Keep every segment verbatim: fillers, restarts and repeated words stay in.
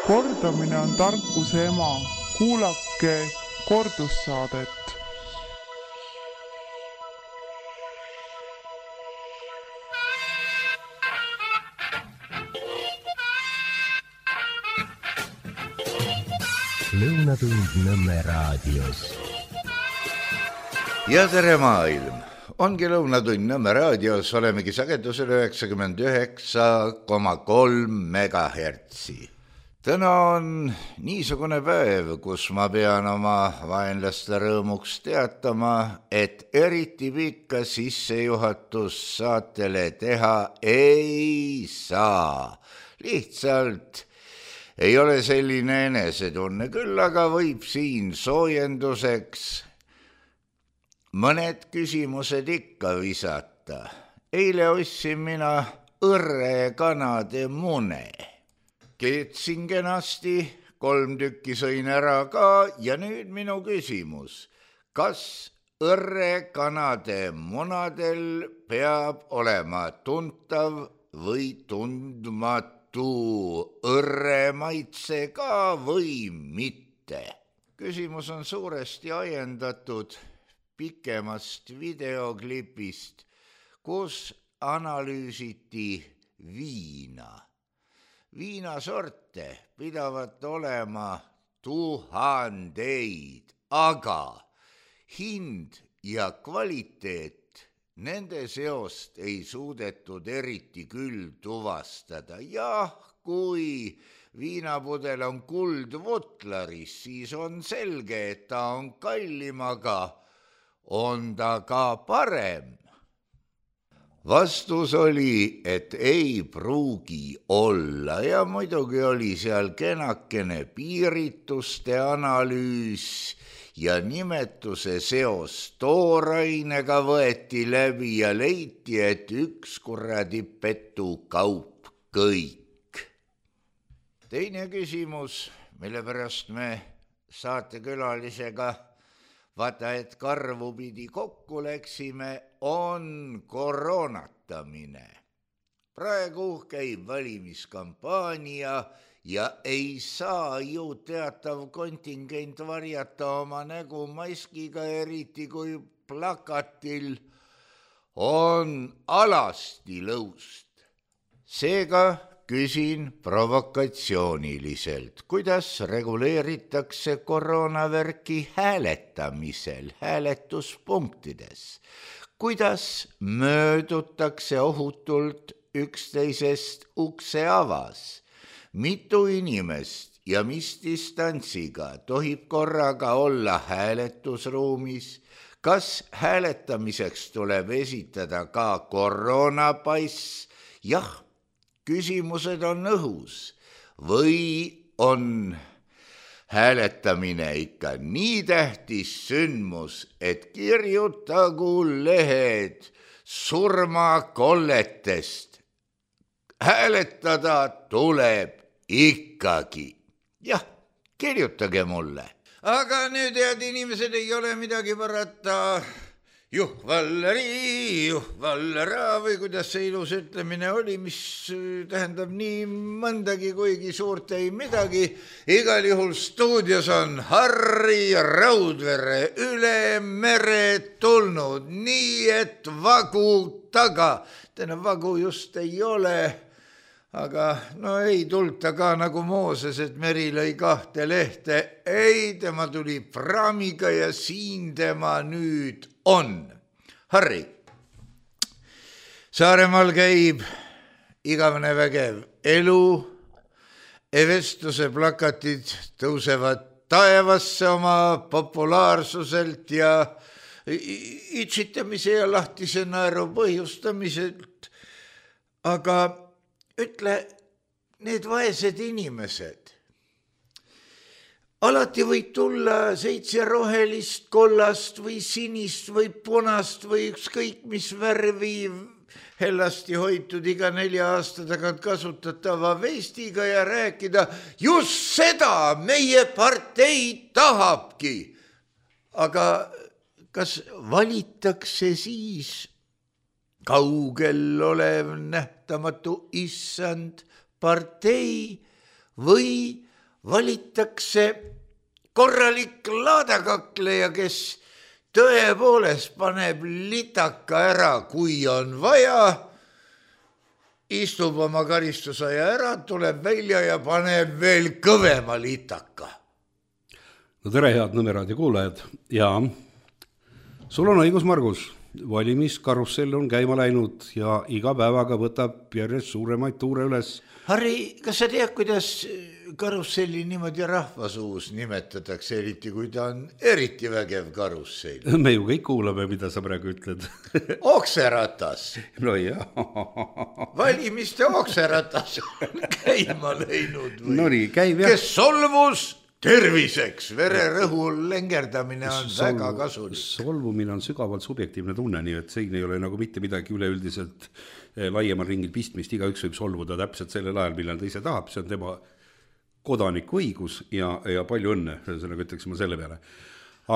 Kordamine on tarkuse ema. Kuulake kordussaadet. Lõunatund Nõmme raadios. Ja tere maailm! Ongi Lõunatund Nõmme raadios, olemegi sagedusel üheksakümmend üheksa koma kolm megahertsi. Täna on niisugune päev, kus ma pean oma vaenlaste rõõmuks teatama, et eriti pikka sissejuhatus saatele teha ei saa. Lihtsalt ei ole selline enesetunne, küll aga võib siin soojenduseks mõned küsimused ikka visata. Eile ostsin mina õrre kanade mune. Keetsin kenasti, kolm tükki sõin ära ka ja nüüd minu küsimus. Kas õrre kanade munadel peab olema tuntav või tundmatu õrre maitse ka või mitte? Küsimus on suuresti ajendatud pikemast videoklipist, kus analüüsiti viina. Viinasorte pidavat olema tuhandeid, aga hind ja kvaliteet nende seost ei suudetud eriti küll tuvastada. Jah, kui viinapudel on kuldvutlaris, siis on selge, et ta on kallim, aga on ta ka parem. Vastus oli, et ei pruugi olla ja muidugi oli seal kenakene piirituste analüüs ja nimetuse seos toorainega võeti läbi ja leiti, et üks kuradi petu kaup kõik. Teine küsimus, mille pärast me saatekülalisega vaata, et karvu pidi kokku läksime, on koroonatamine. Praegu käib valimiskampaania ja ei saa ju teatav kontingent varjata oma nägu maskiga, eriti kui plakatil on alasti lõust. Seega küsin provokatsiooniliselt, kuidas reguleeritakse koroonavärki hääletamisel, hääletuspunktides, kuidas möödutakse ohutult üksteisest ukse avas, mitu inimest ja mis distantsiga tohib korraga olla hääletusruumis, kas hääletamiseks tuleb esitada ka koroonapass, jah, küsimused on õhus või on hääletamine ikka nii tähtis sündmus, et kirjutagu lehed surmakolletest. Hääletada tuleb ikkagi. Jah, kirjutage mulle. Aga nüüd, head inimesed, ei ole midagi parata. Juhvalleri, juhvallera või kuidas see ilus ütlemine oli, mis tähendab nii mõndagi, kuigi suurt ei midagi. Igal juhul stuudios on Harri Raudvere üle mere tulnud, nii et vagu taga. Täna vagu just ei ole, aga no ei tulta ka nagu Mooses, et meri lõi kahte lehte. Ei, tema tuli praamiga ja siin tema nüüd on. Harri, Saaremaal käib igavene vägev elu, vestluse plakatid tõusevad taevasse oma populaarsuselt ja itsitamise ja lahtise naeru põhjustamiselt. Aga ütle, need vaesed inimesed, alati võib tulla seitse rohelist, kollast või sinist või punast või ükskõik mis värvi hellasti hoitud iga nelja aasta tagant kasutatava vestiga ja rääkida, just seda meie partei tahabki. Aga kas valitakse siis kaugel olev nähtamatu issand partei või valitakse korralik laadakakleja, kes tõepoolest paneb litaka ära, kui on vaja, istub oma karistusaja ära, tuleb välja ja paneb veel kõvema litaka. No tere, head Nõmme raadio kuulajad. Ja sul on õigus, Margus. Valimiskarussell on käima läinud ja iga päevaga võtab järjest suuremaid tuure üles. Harri, kas sa tead, kuidas karusselli niimoodi rahvasuus nimetatakse, eriti kui ta on eriti vägev karussell? Me ju kõik kuulame, mida sa praegu ütled. Okseratas. No jah. Valimiste okseratas on käima läinud. No nii, käib jah. Kes solvus terviseks, vererõhul lengerdamine on Solv, väga kasulik. Solvumine on sügavalt subjektiivne tunne, nii et siin ei ole nagu mitte midagi üleüldiselt laiemal ringil pistmist, igaüks võib solvuda täpselt sellel ajal, millal ta ise tahab, see on tema kodaniku õigus ja, ja palju õnne, sellega ütleksime selle peale.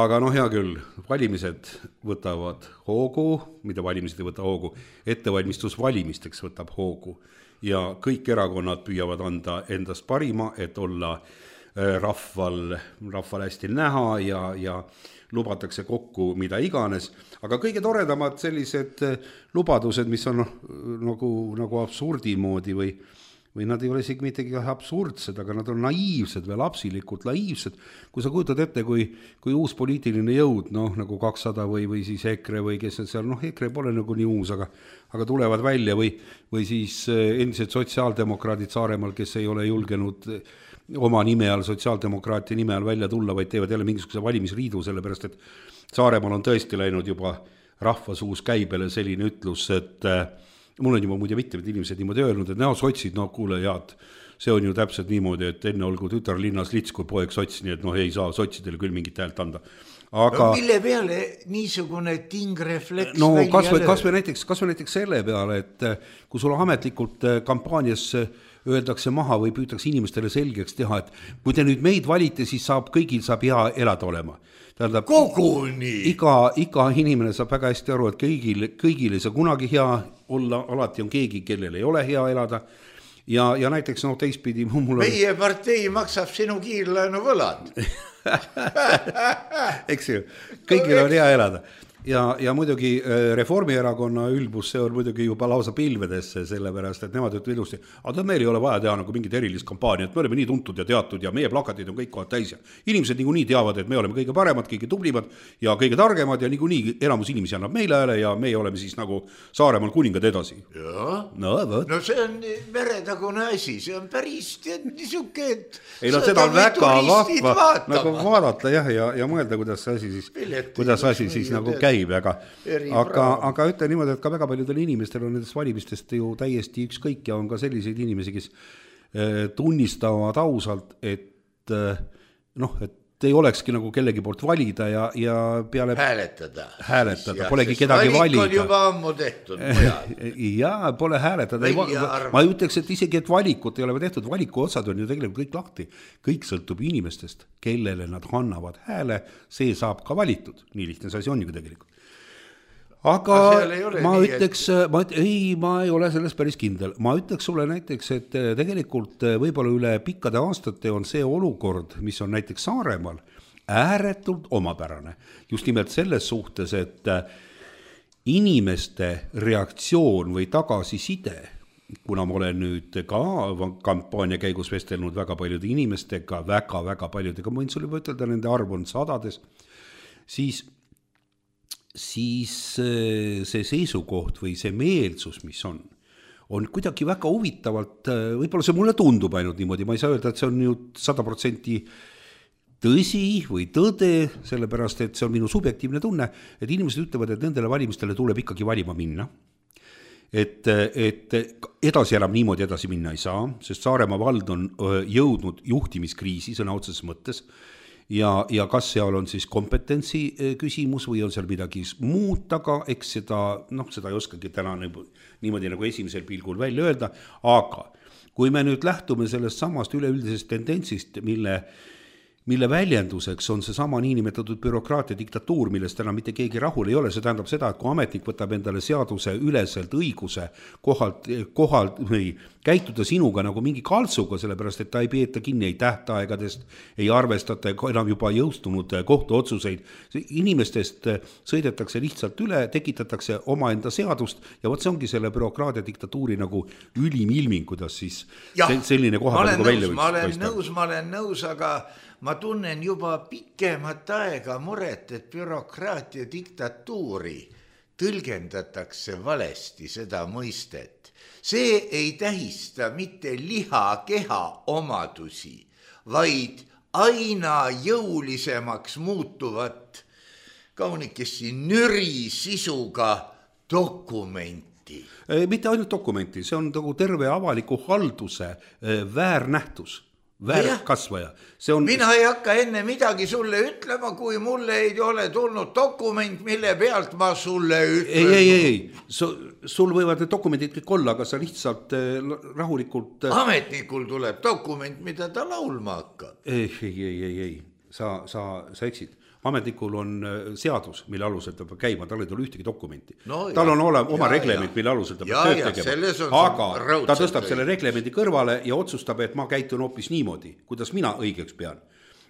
Aga noh, hea küll, valimised võtavad hoogu, mida valimised ei võta hoogu, ettevalmistus valimisteks võtab hoogu ja kõik erakonnad püüavad anda endast parima, et olla rahval, rahval hästi näha ja, ja lubatakse kokku mida iganes, aga kõige toredamad sellised lubadused, mis on nagu, nagu absurdi moodi või, või nad ei ole isegi mittegi absurdsed, aga nad on naiivsed või lapsilikult naiivsed. Kui sa kujutad ette, kui, kui uus poliitiline jõud, noh nagu kakssada või, või siis EKRE või kes on seal, noh EKRE pole nagu nii uus, aga, aga tulevad välja või, või siis endised sotsiaaldemokraadid Saaremaal, kes ei ole julgenud oma nime all, sotsiaaldemokraatia nime all välja tulla, vaid teevad jälle mingisuguse valimisriidu, sellepärast et Saaremaal on tõesti läinud juba rahvasuus käibele selline ütlus, et äh, mul on juba muide mitmed inimesed niimoodi öelnud, et näo sotsid, no kuule head, see on ju täpselt niimoodi, et enne olgu tütar linnas lits kui poeg sots, nii et noh ei saa sotsidele küll mingit häält anda. Aga, no, mille peale niisugune tingrefleks no, kas või, kas või näiteks, kas või näiteks selle peale, et kui sul ametlikult kampaanias öeldakse maha või püütakse inimestele selgeks teha, et kui te nüüd meid valite, siis saab, kõigil saab hea elada olema. Tähendab, koguni. Iga, iga inimene saab väga hästi aru, et kõigil, kõigil ei saa kunagi hea olla, alati on keegi, kellel ei ole hea elada. Ja, ja näiteks no, teistpidi mul on... Meie partei maksab sinu kiirlaenu võlad. Eks ju, kõigil on hea elada. Ja, ja muidugi Reformierakonna ülbus, see on muidugi juba lausa pilvedesse, sellepärast, et nemad ütlevad ilusti, aga meil ei ole vaja teha nagu mingit erilist kampaaniat, me oleme nii tuntud ja teatud ja meie plakatid on kõik kohad täis ja inimesed niikuinii teavad, et me oleme kõige paremad, kõige tublimad ja kõige targemad ja niikuinii enamus inimesi annab meile hääle ja meie oleme siis nagu Saaremaal kuningad edasi. No, no see on meretagune asi, see on päris niisuke, et ei no seda on väga vahva nagu vaadata jah, ja, ja mõelda, kuidas see asi siis, Piletti, kuidas asi siis nagu käib. Aga, aga, aga ütle niimoodi, et ka väga paljudel inimestel on nendest valimistest ju täiesti ükskõik ja on ka selliseid inimesi, kes tunnistavad ausalt, et noh, et ei olekski nagu kellegi poolt valida ja, ja peale hääletada, hääletada. Polegi kedagi valida. Valik on juba ammu tehtud mujal. Ja, pole hääletada. Ei, ma ütleks, et isegi, et valikut ei ole tehtud, valiku otsad on ju tegelikult kõik lahti. Kõik sõltub inimestest, kellele nad annavad hääle, see saab ka valitud. Nii lihtne see asi on ju tegelikult. Aga ma nii, ütleks, et... ma, ei, ma ei ole selles päris kindel. Ma ütleks sulle näiteks, et tegelikult võib-olla üle pikkade aastate on see olukord, mis on näiteks Saaremaal, ääretult omapärane. Just nimelt selles suhtes, et inimeste reaktsioon või tagasiside, kuna ma olen nüüd ka kampaania käigus vestelnud väga paljude inimestega, väga-väga paljudega, ma võin sulle juba ütelda, nende arv on sadades, siis siis see seisukoht või see meelsus, mis on, on kuidagi väga huvitavalt, võib-olla see mulle tundub ainult niimoodi, ma ei saa öelda, et see on ju sada protsenti tõsi või tõde, sellepärast, et see on minu subjektiivne tunne, et inimesed ütlevad, et nendele valimistele tuleb ikkagi valima minna. Et, et edasi enam niimoodi edasi minna ei saa, sest Saaremaa vald on jõudnud juhtimiskriisi sõna otseses mõttes, Ja, ja kas seal on siis kompetentsi küsimus või on seal midagi muud taga, eks seda, noh, seda ei oskagi täna niimoodi nagu esimesel pilgul välja öelda, aga kui me nüüd lähtume sellest samast üleüldisest tendentsist, mille mille väljenduseks on see sama niinimetatud bürokraatia diktatuur, millest enam mitte keegi rahul ei ole. See tähendab seda, et kui ametnik võtab endale seaduse üleselt õiguse kohalt, kohalt või käituda sinuga nagu mingi kaltsuga, sellepärast et ta ei peeta kinni ei tähtaegadest, ei arvestata enam juba jõustunud kohtuotsuseid. Inimestest sõidetakse lihtsalt üle, tekitatakse omaenda seadust ja võt see ongi selle bürokraatia diktatuuri nagu ülim ilming, kuidas siis ja, selline koha nagu välja võiks. Ma olen paista. nõus, ma olen nõus, aga ma tunnen juba pikemat aega muret, et bürokraatia diktatuuri tõlgendatakse valesti seda mõistet. See ei tähista mitte lihakeha omadusi, vaid aina jõulisemaks muutuvat kaunikesti nüri sisuga dokumenti. Mitte ainult dokumenti, see on nagu terve avaliku halduse väärnähtus. Väärkasvaja. On... Mina ei hakka enne midagi sulle ütlema, kui mulle ei ole tulnud dokument, mille pealt ma sulle ütlen. Ei, ei, ei. Sul võivad need dokumendid kõik olla, aga sa lihtsalt rahulikult... Ametnikul tuleb dokument, mida ta laulma hakkab. Ei, ei, ei, ei, ei. Sa, sa, sa eksid. Ametnikul on seadus, mille alusel ta peab käima, tal ei tule ühtegi dokumenti. No, tal on ole, oma ja, reglement, ja. Mille alusel ta peab tööd tegema. Aga ta tõstab selle reglemendi kõrvale ja otsustab, et ma käitun hoopis niimoodi, kuidas mina õigeks pean.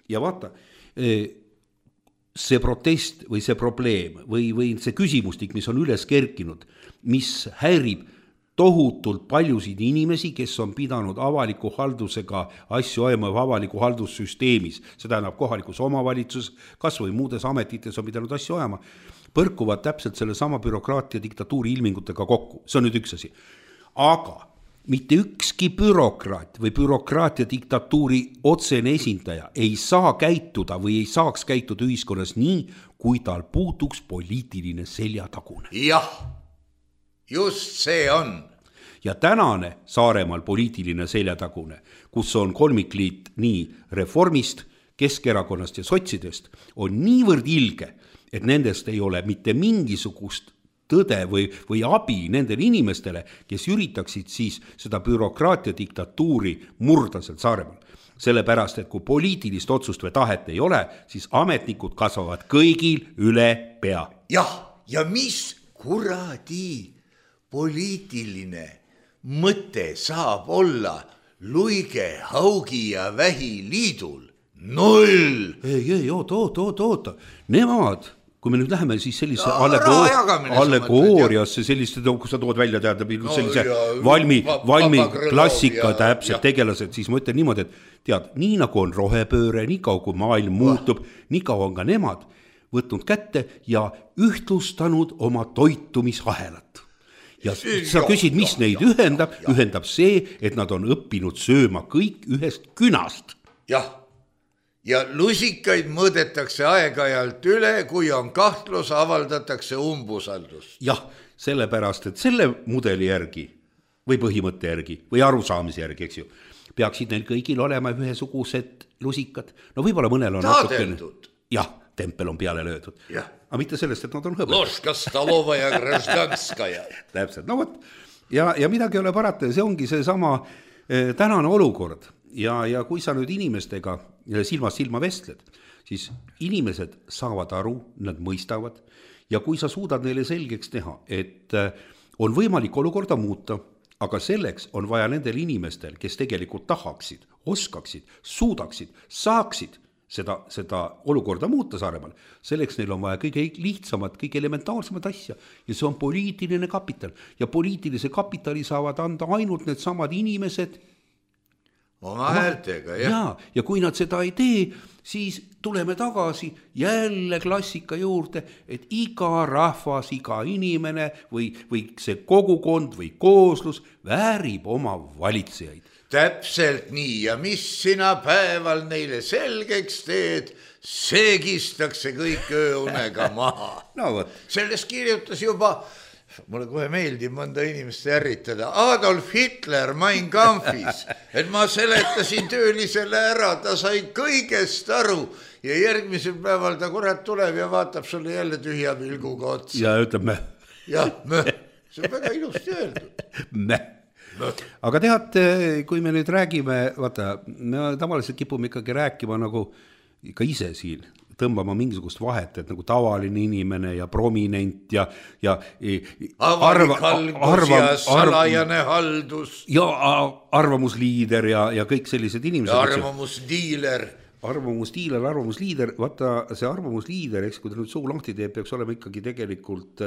Ja vaata, see protest või see probleem või, või see küsimustik, mis on üles kerkinud, mis häirib tohutult paljusid inimesi, kes on pidanud avaliku haldusega asju ajama avaliku haldussüsteemis, see tähendab kohalikus omavalitsus, kas või muudes ametites on pidanud asju ajama, põrkuvad täpselt selle sama bürokraatia diktatuuri ilmingutega kokku. See on nüüd üks asi. Aga mitte ükski bürokraat või bürokraatia diktatuuri otsene esindaja ei saa käituda või ei saaks käituda ühiskonnas nii, kui tal puuduks poliitiline seljatagune. Jah. Just see on. Ja tänane Saaremaal poliitiline seljatagune, kus on kolmikliit nii Reformist, Keskerakonnast ja sotsidest, on niivõrd ilge, et nendest ei ole mitte mingisugust tõde või, või abi nendele inimestele, kes üritaksid siis seda bürokraatia diktatuuri murda seal Saaremaal. Sellepärast, et kui poliitilist otsust või tahet ei ole, siis ametnikud kasvavad kõigil üle pea. Jah, ja mis kuradi poliitiline mõte saab olla Luige, Haugi ja Vähi liidul? Null! Ei, ei, oota, oota, oota, oota. Nemad, kui me nüüd läheme siis sellise allegoor... allegooriasse, selliste, kus sa tood välja teada, no, sellise ja, valmi, valmi klassika ja, täpselt ja. Tegelased, siis ma ütlen niimoodi, et tead, nii nagu on rohepööre, nii kaua kui maailm muutub, nii kaua on ka nemad võtnud kätte ja ühtlustanud oma toitumisahelat. Ja sa küsid, mis neid ühendab, ühendab see, et nad on õppinud sööma kõik ühest künast. Jah, ja lusikaid mõõdetakse aeg-ajalt üle, kui on kahtlus, avaldatakse umbusaldust. Jah, sellepärast, et selle mudeli järgi või põhimõtte järgi või arusaamise järgi, eks ju, peaksid neil kõigil olema ühesugused lusikad. No võib-olla mõnel on Taadeldud. Jah, tempel on peale löödud. Jah. Aga mitte sellest, et nad on hõbed. Loška, Stalova ja Graždanskaja. Täpselt, no võt. Ja, ja midagi ei ole parata, see ongi see sama eh, tänane olukord. Ja, ja kui sa nüüd inimestega silmast silma vestled, siis inimesed saavad aru, nad mõistavad. Ja kui sa suudad neile selgeks teha, et eh, on võimalik olukorda muuta, aga selleks on vaja nendel inimestel, kes tegelikult tahaksid, oskaksid, suudaksid, saaksid Seda, seda olukorda muuta Saaremaal, selleks neil on vaja kõige lihtsamat, kõige elementaarsemat asja ja see on poliitiline kapital ja poliitilise kapitali saavad anda ainult need samad inimesed oma häältega, jah. Ja, ja kui nad seda ei tee, siis tuleme tagasi jälle klassika juurde, et iga rahvas, iga inimene või, või see kogukond või kooslus väärib oma valitsejaid. Täpselt nii ja mis sina päeval neile selgeks teed, seegistakse kõik ööunega maha. No, võt. Sellest kirjutas juba, mulle kohe meeldib mõnda inimest ärritada, Adolf Hitler Mein Kampfis, et ma seletasin töölisele ära, ta sai kõigest aru ja järgmisel päeval ta kurat tuleb ja vaatab sulle jälle tühja pilguga otsa. Ja ütleb me. Jah, me. See on väga ilusti öeldud. Me. Aga tead, kui me nüüd räägime, vaata, me tavaliselt kipume ikkagi rääkima nagu ka ise siin tõmbama mingisugust vahet, et nagu tavaline inimene ja prominent ja, ja avalik haldus arva, ja salajane arv, haldus. Ja arvamusliider ja, ja kõik sellised inimesed. Ja arvamusdiiler. Arvamusdiiler, arvamusliider, vaata see arvamusliider, eks, kui ta nüüd suu lahti teeb, peaks olema ikkagi tegelikult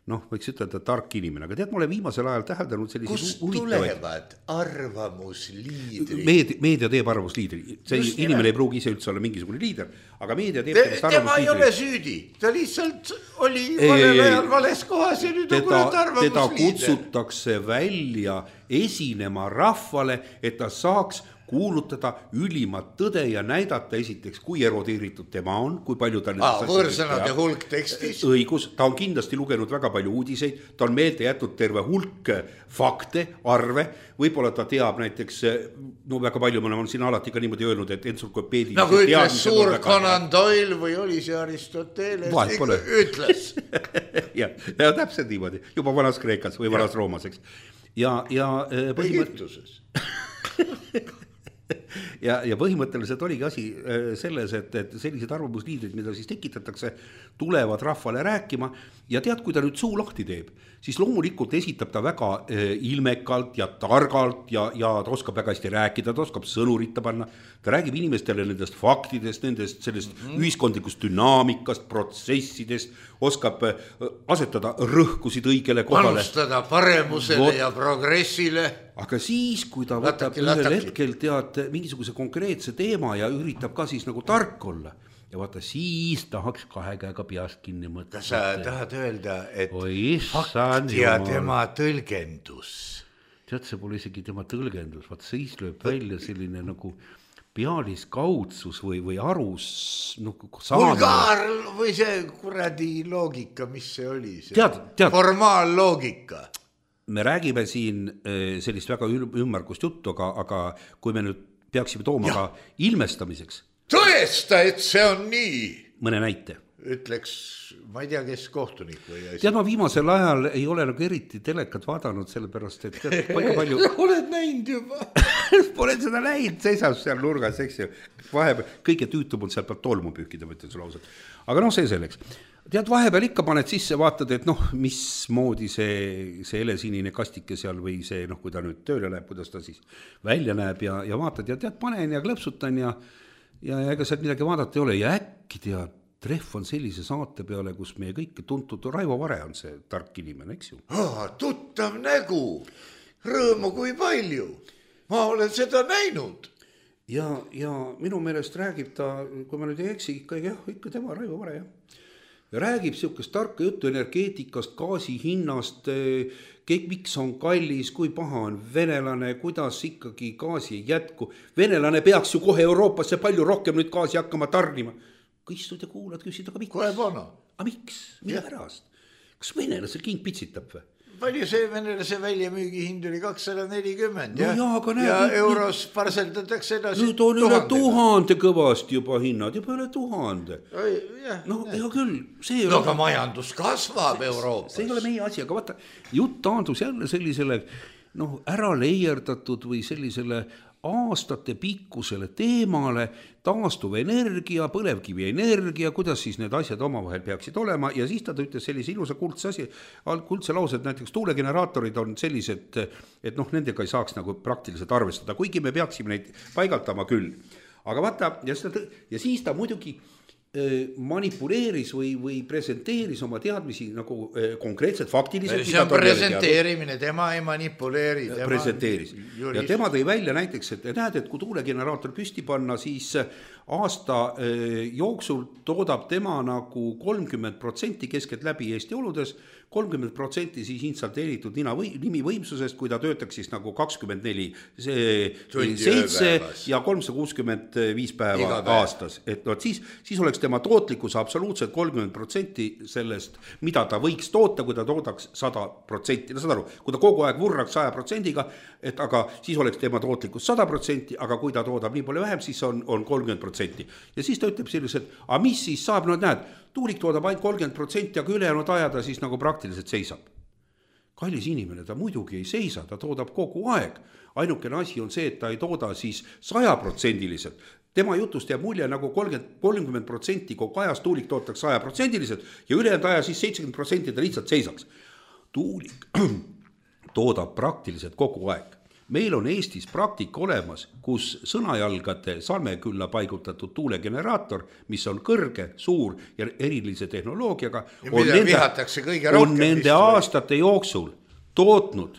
noh, võiks ütelda tark inimene, aga tead, ma olen viimasel ajal täheldanud sellised kust tulevad arvamusliidrid? Meedia, meedia teeb arvamusliidri, see Just inimene ei pruugi ise üldse olla mingisugune liider, aga meedia teeb Te, tema ei ole süüdi, ta lihtsalt oli valel ajal vales kohas ja nüüd teda, on kurat arvamusliider. Teda kutsutakse välja esinema rahvale, et ta saaks kuulutada ülimat tõde ja näidata esiteks, kui erodeeritud tema on, kui palju ta ah, võõrsõnade hulk tekstis. Õigus, ta on kindlasti lugenud väga palju uudiseid, ta on meelde jätnud terve hulk fakte, arve, võib-olla ta teab näiteks, no väga palju me oleme siin alati ka niimoodi öelnud, et entsüklopeedilised nagu ütles suur Conan Doyle või oli see Aristoteles, ütles. ja, ja täpselt niimoodi, juba vanas Kreekas või vanas Roomas, eks. Ja, ja Egiptuses. ja, ja põhimõtteliselt oligi asi selles, et, et sellised arvamusliidrid, mida siis tekitatakse, tulevad rahvale rääkima ja tead, kui ta nüüd suu lahti teeb, siis loomulikult esitab ta väga ilmekalt ja targalt ja, ja ta oskab väga hästi rääkida, ta oskab sõnuritta panna, ta räägib inimestele nendest faktidest, nendest sellest mm-hmm. ühiskondlikust dünaamikast, protsessidest, oskab asetada rõhkusid õigele kohale. Panustada paremusele Vot. Ja progressile. Aga siis, kui ta võtab ühel hetkel tead mingisuguse konkreetse teema ja üritab ka siis nagu tark olla ja vaata, siis tahaks kahe käega peast kinni mõtleda. Kas sa tahad öelda, et Oi, fakt ja jumal. Tema tõlgendus? Tead, see pole isegi tema tõlgendus, vaata siis lööb välja selline nagu pealiskaudsus või, või arus no, vulgaar või see kuradi loogika, mis see oli? See tead, tead. Formaalloogika. Me räägime siin sellist väga ümmargust juttu, aga, aga kui me nüüd peaksime tooma ja. Ka ilmestamiseks. Tõesta, et see on nii. Mõne näite. Ütleks, ma ei tea, kes kohtunik või asi. Tead, ma viimasel ajal ei ole nagu eriti telekat vaadanud, sellepärast, et tead, paika palju... Oled näinud juba. Pole seda näinud, seisab seal nurgas, eks ju. Vahepeal, kõige tüütum on seal pealt tolmu pühkida, ma ütlen sulle ausalt. Aga noh, see selleks. Tead, vahepeal ikka paned sisse, vaatad, et noh, mismoodi see, see helesinine kastike seal või see, noh, kui ta nüüd tööle läheb, kuidas ta siis välja näeb ja, ja vaatad ja tead, panen ja klõpsutan ja, ja ega sealt midagi vaadata ei ole ja äkki tead, trehv on sellise saate peale, kus meie kõik tuntud Raivo Vare on see tark inimene, eks ju? Ah, tuttav nägu, rõõmu kui palju, ma olen seda näinud. Ja, ja minu meelest räägib ta, kui ma nüüd ei eksi, ikka, jah, ikka tema Raivo Vare, jah. Ja räägib siukest tarka juttu energeetikast, gaasi hinnast, kõik, miks on kallis, kui paha on venelane, kuidas ikkagi gaasi ei jätku. Venelane peaks ju kohe Euroopasse palju rohkem nüüd gaasi hakkama tarnima. Kui istud ja kuulad, küsid, aga miks? Kohe pana. Aga miks? Mille pärast? Kas venelasel king pitsitab või? Palju see venelase väljamüügi hind oli kakssada nelikümmend no ja, ja, ja euros parseldatakse edasi nüüd on üle tuhande kõvasti juba hinnad, juba üle tuhande. Jah, no hea küll. See no aga majandus kasvab Euroopas. See ei ole meie asi, aga vaata, jutt taandus jälle sellisele noh, ära leierdatud või sellisele aastate pikkusele teemale, taastuv energia, põlevkivi energia, kuidas siis need asjad omavahel peaksid olema ja siis ta ütles sellise ilusa kuldse asi, kuldse lause, et näiteks tuulegeneraatorid on sellised, et noh, nendega ei saaks nagu praktiliselt arvestada, kuigi me peaksime neid paigaldama küll. Aga vaata, ja, seda, ja siis ta muidugi manipuleeris või, või presenteeris oma teadmisi nagu konkreetselt faktiliselt. See on presenteerimine, tema ei manipuleeri. Tema presenteeris. Jurist. Ja tema tõi välja näiteks, et näed, et kui tuulegeneraator püsti panna, siis aasta jooksul toodab tema nagu kolmkümmend protsenti keskelt läbi Eesti oludes, kolmkümmend protsenti siis installeeritud nina või, nimi võimsusest, kui ta töötaks siis nagu kakskümmend neli, seitse ja kolmsada kuuskümmend viis päeva aastas. Et no, siis, siis oleks tema tootlikkus absoluutselt kolmkümmend protsenti sellest, mida ta võiks toota, kui ta toodaks sada protsenti. No saad aru, kui ta kogu aeg vurraks saja protsendiga, et aga siis oleks tema tootlikkus sada protsenti, aga kui ta toodab nii palju vähem, siis on, on kolmkümmend protsenti. Ja siis ta ütleb selliselt, aga mis siis saab, no näed, tuulik toodab ainult kolmkümmend protsenti, aga ülejäänud ajada siis nagu praktiliselt seisab. kallis inimene, ta muidugi ei seisa, ta toodab kogu aeg. Ainukene asi on see, et ta ei tooda siis sajaprotsendiliselt. Tema jutust jääb mulje nagu kolmkümmend protsenti kogu ajas tuulik tootaks sajaprotsendiliselt ja ülejäänud aja siis seitsekümmend protsenti ta lihtsalt seisaks. Tuulik toodab praktiliselt kogu aeg. Meil on Eestis praktika olemas, kus sõnajalgade salmekülla paigutatud tuulegeneraator, mis on kõrge, suur ja erilise tehnoloogiaga, on nende, on nende aastate jooksul tootnud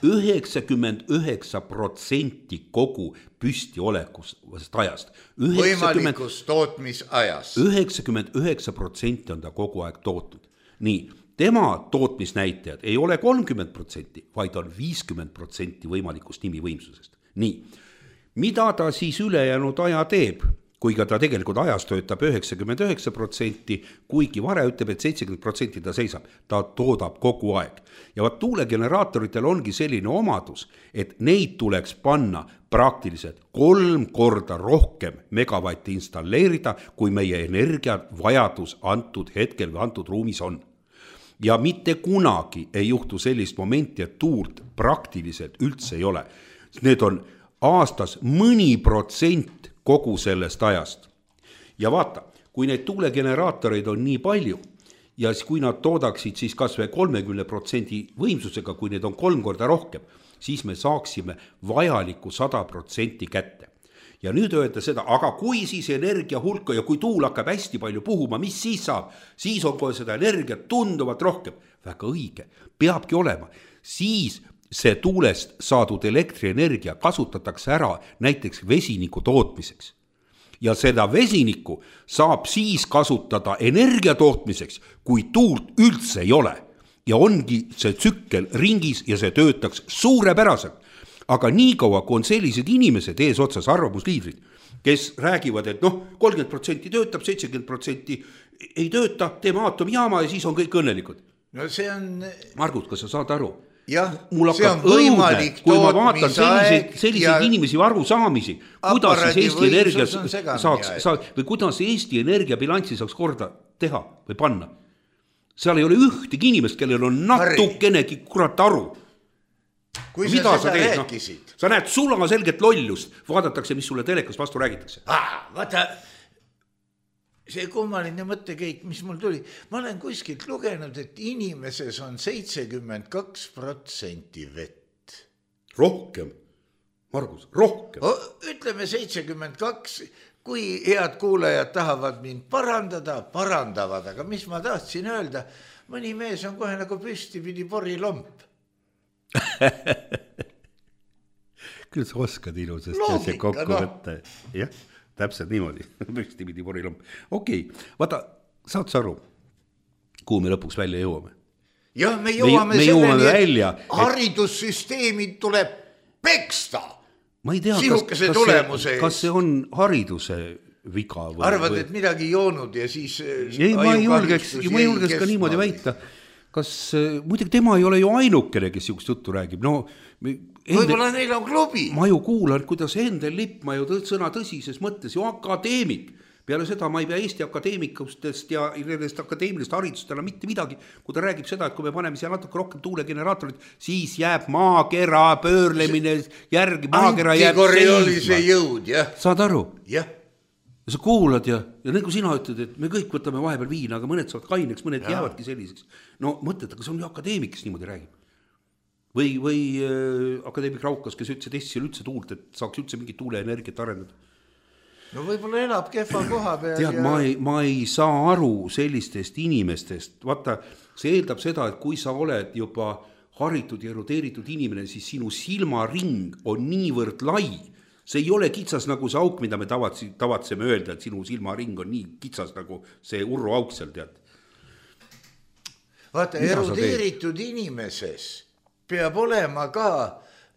üheksakümmend üheksa protsenti kogu püstiolekust ajast. Võimalikus tootmisajast. üheksakümmend üheksa protsenti on ta kogu aeg tootnud. Nii, tema tootmisnäitajad ei ole kolmkümmend protsenti, vaid on viiskümmend protsenti võimalikust nimivõimsusest. Nii, mida ta siis ülejäänud aja teeb? Kuiga ta tegelikult ajas töötab üheksakümmend üheksa protsenti, kuigi vare ütleb, et seitsekümmend protsenti ta seisab, ta toodab kogu aeg. Ja vaat tuulegeneraatoritel ongi selline omadus, et neid tuleks panna praktiliselt kolm korda rohkem megavatti installeerida, kui meie energiavajadus antud hetkel või antud ruumis on. Ja mitte kunagi ei juhtu sellist momenti, et tuult praktiliselt üldse ei ole. Need on aastas mõni protsent kogu sellest ajast. Ja vaata, kui neid tuulegeneraatoreid on nii palju ja kui nad toodaksid siis kas või kolmekümne protsendi võimsusega, kui need on kolm korda rohkem, siis me saaksime vajaliku sada protsenti kätte. Ja nüüd öelda seda, aga kui siis energia hulka ja kui tuul hakkab hästi palju puhuma, mis siis saab? Siis on kohe seda energiat tunduvalt rohkem. Väga õige, peabki olema. Siis see tuulest saadud elektrienergia kasutatakse ära näiteks vesiniku tootmiseks. Ja seda vesiniku saab siis kasutada energia tootmiseks, kui tuult üldse ei ole. Ja ongi see tsükkel ringis ja see töötaks suurepäraselt. Aga nii kaua, kui on sellised inimesed ees otsas arvamusliidrid, kes räägivad, et noh, kolmkümmend protsenti töötab, seitsekümmend protsenti ei tööta, teeme aatomijaama ja siis on kõik õnnelikud. No see on... Margus, kas sa saad aru? Jah, mul see on võimalik õudne, kui ma vaatan selliseid, selliseid ja... inimesi aru saamisi, kuidas siis Eesti Energia saaks, saaks, või kuidas Eesti Energia bilanssi saaks korda teha või panna. Seal ei ole ühtegi inimest, kellel on natukenegi kurat aru. Kui mida sa seda teed, rääkisid? No, sa näed sulama selget lollust, vaadatakse, mis sulle telekas vastu räägitakse. Ah, vaata, see kummaline mõttekeit, mis mul tuli. Ma olen kuskilt lugenud, et inimeses on seitsekümmend kaks protsenti vett. Rohkem, Margus, rohkem. O, ütleme seitsekümmend kaks, kui head kuulajad tahavad mind parandada, parandavad, aga mis ma tahtsin öelda, mõni mees on kohe nagu püsti pidi porilomp. Küll sa oskad ilusasti see kokku no. võtta. Jah, täpselt niimoodi. Püsti pidi porilomp. Okei, vaata, saad sa aru, kuhu me lõpuks välja jõuame? Jah, me jõuame me, selleni, me välja, et haridussüsteemi tuleb peksta. Ma ei tea, kas, kas, see, kas see on hariduse viga või... Arvad, et midagi joonud ja siis... Ei, ma ei julgeks, ma ei julgeks ka niimoodi väita. Kas, muidugi tema ei ole ju ainukene, kes siukest juttu räägib. No, võib-olla neil on klubi. Ma ju kuulan, kuidas Endel Lippmaa ju tõd, sõna tõsises mõttes ju akadeemik. Peale seda ma ei pea Eesti akadeemikustest ja nendest akadeemilist haridust enam mitte midagi, kui ta räägib seda, et kui me paneme siia natuke rohkem tuulegeneraatorid, siis jääb maakera pöörlemine järgi, maakera jääb seisma. Jõud, jah. Saad aru? Jah. Ja sa kuulad ja, ja nagu sina ütled, et me kõik võtame vahepeal viina, aga mõned saavad kaineks, mõned ja. Jäävadki selliseks. No mõtled, aga see on ju akadeemik, kes niimoodi räägib. Või, või äh, akadeemik Raukas, kes ütles, et Eestis üldse tuult, et saaks üldse mingit tuuleenergiat arendada. No võib-olla elab kehva koha peal. Tead, ja... ma, ei, ma ei saa aru sellistest inimestest. Vaata, see eeldab seda, et kui sa oled juba haritud ja erudeeritud inimene, siis sinu silmaring on niivõrd lai. See ei ole kitsas nagu see auk, mida me tavatseme öelda, et sinu silmaring on nii kitsas nagu see urru auk seal, tead. Vaata, mida erudeeritud inimeses peab olema ka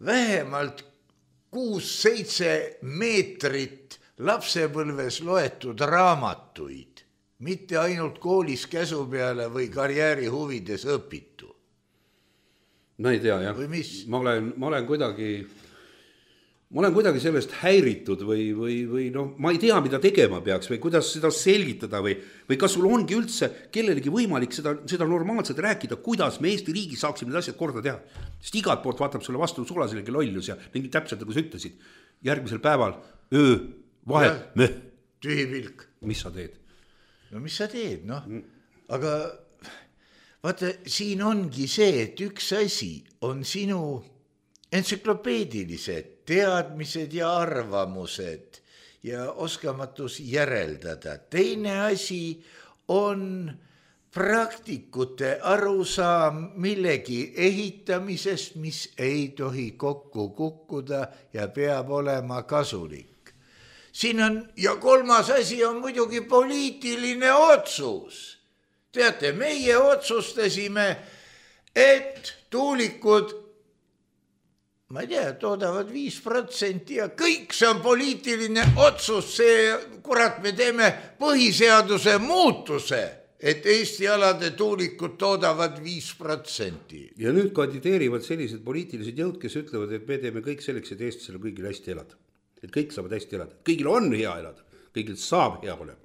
vähemalt kuus-seitse meetrit lapsepõlves loetud raamatuid, mitte ainult koolis käsu peale või karjääri huvides õpitu. Ma ei tea, jah. Või mis? Ma olen, ma olen kuidagi... ma olen kuidagi sellest häiritud või, või, või noh, ma ei tea, mida tegema peaks või kuidas seda selgitada või, või kas sul ongi üldse kellelegi võimalik seda, seda normaalselt rääkida, kuidas me Eesti riigis saaksime need asjad korda teha. Sest igalt poolt vaatab sulle vastu sulaselegi lollus ja mingi täpselt nagu sa ütlesid. Järgmisel päeval, öö, vahe, möh. Tühi pilk. Mis sa teed? No mis sa teed, noh. Aga vaata, siin ongi see, et üks asi on sinu entsüklopeedilised teadmised ja arvamused ja oskamatus järeldada. Teine asi on praktikute arusaam millegi ehitamisest, mis ei tohi kokku kukkuda ja peab olema kasulik. Siin on, ja kolmas asi on muidugi poliitiline otsus. Teate, meie otsustasime, et tuulikud ma ei tea, toodavad viis protsenti ja kõik see on poliitiline otsus, see, kurat, me teeme põhiseaduse muutuse, et Eesti alade tuulikud toodavad viis protsenti. Ja nüüd kandideerivad sellised poliitilised jõud, kes ütlevad, et me teeme kõik selleks, et eestlasel kõigil hästi elada. Et kõik saavad hästi elada. Kõigil on hea elada. Kõigil saab hea olema.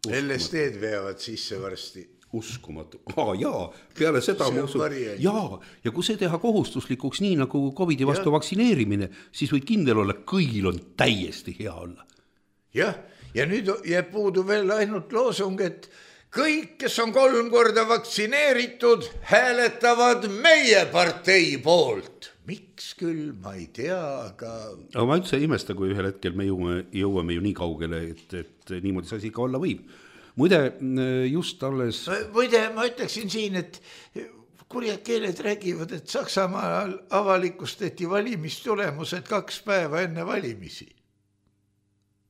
L S D-d veavad sisse varsti. Uskumatu. Aa, jaa, peale seda ma usun. Jaa, ja kui see teha kohustuslikuks nii nagu COVID-i vastu ja. Vaktsineerimine, siis võid kindel olla, kõigil on täiesti hea olla. Jah, ja nüüd jääb puudu veel ainult loosung, et kõik, kes on kolm korda vaktsineeritud, hääletavad meie partei poolt. Miks küll, ma ei tea, aga... Aga ma üldse ei imesta, kui ühel hetkel me jõuame, jõuame ju nii kaugele, et, et niimoodi see asi ka olla võib. Muide, just alles... Muide, ma ütleksin siin, et kurjad keeled räägivad, et Saksamaal avalikustati valimistulemused kaks päeva enne valimisi.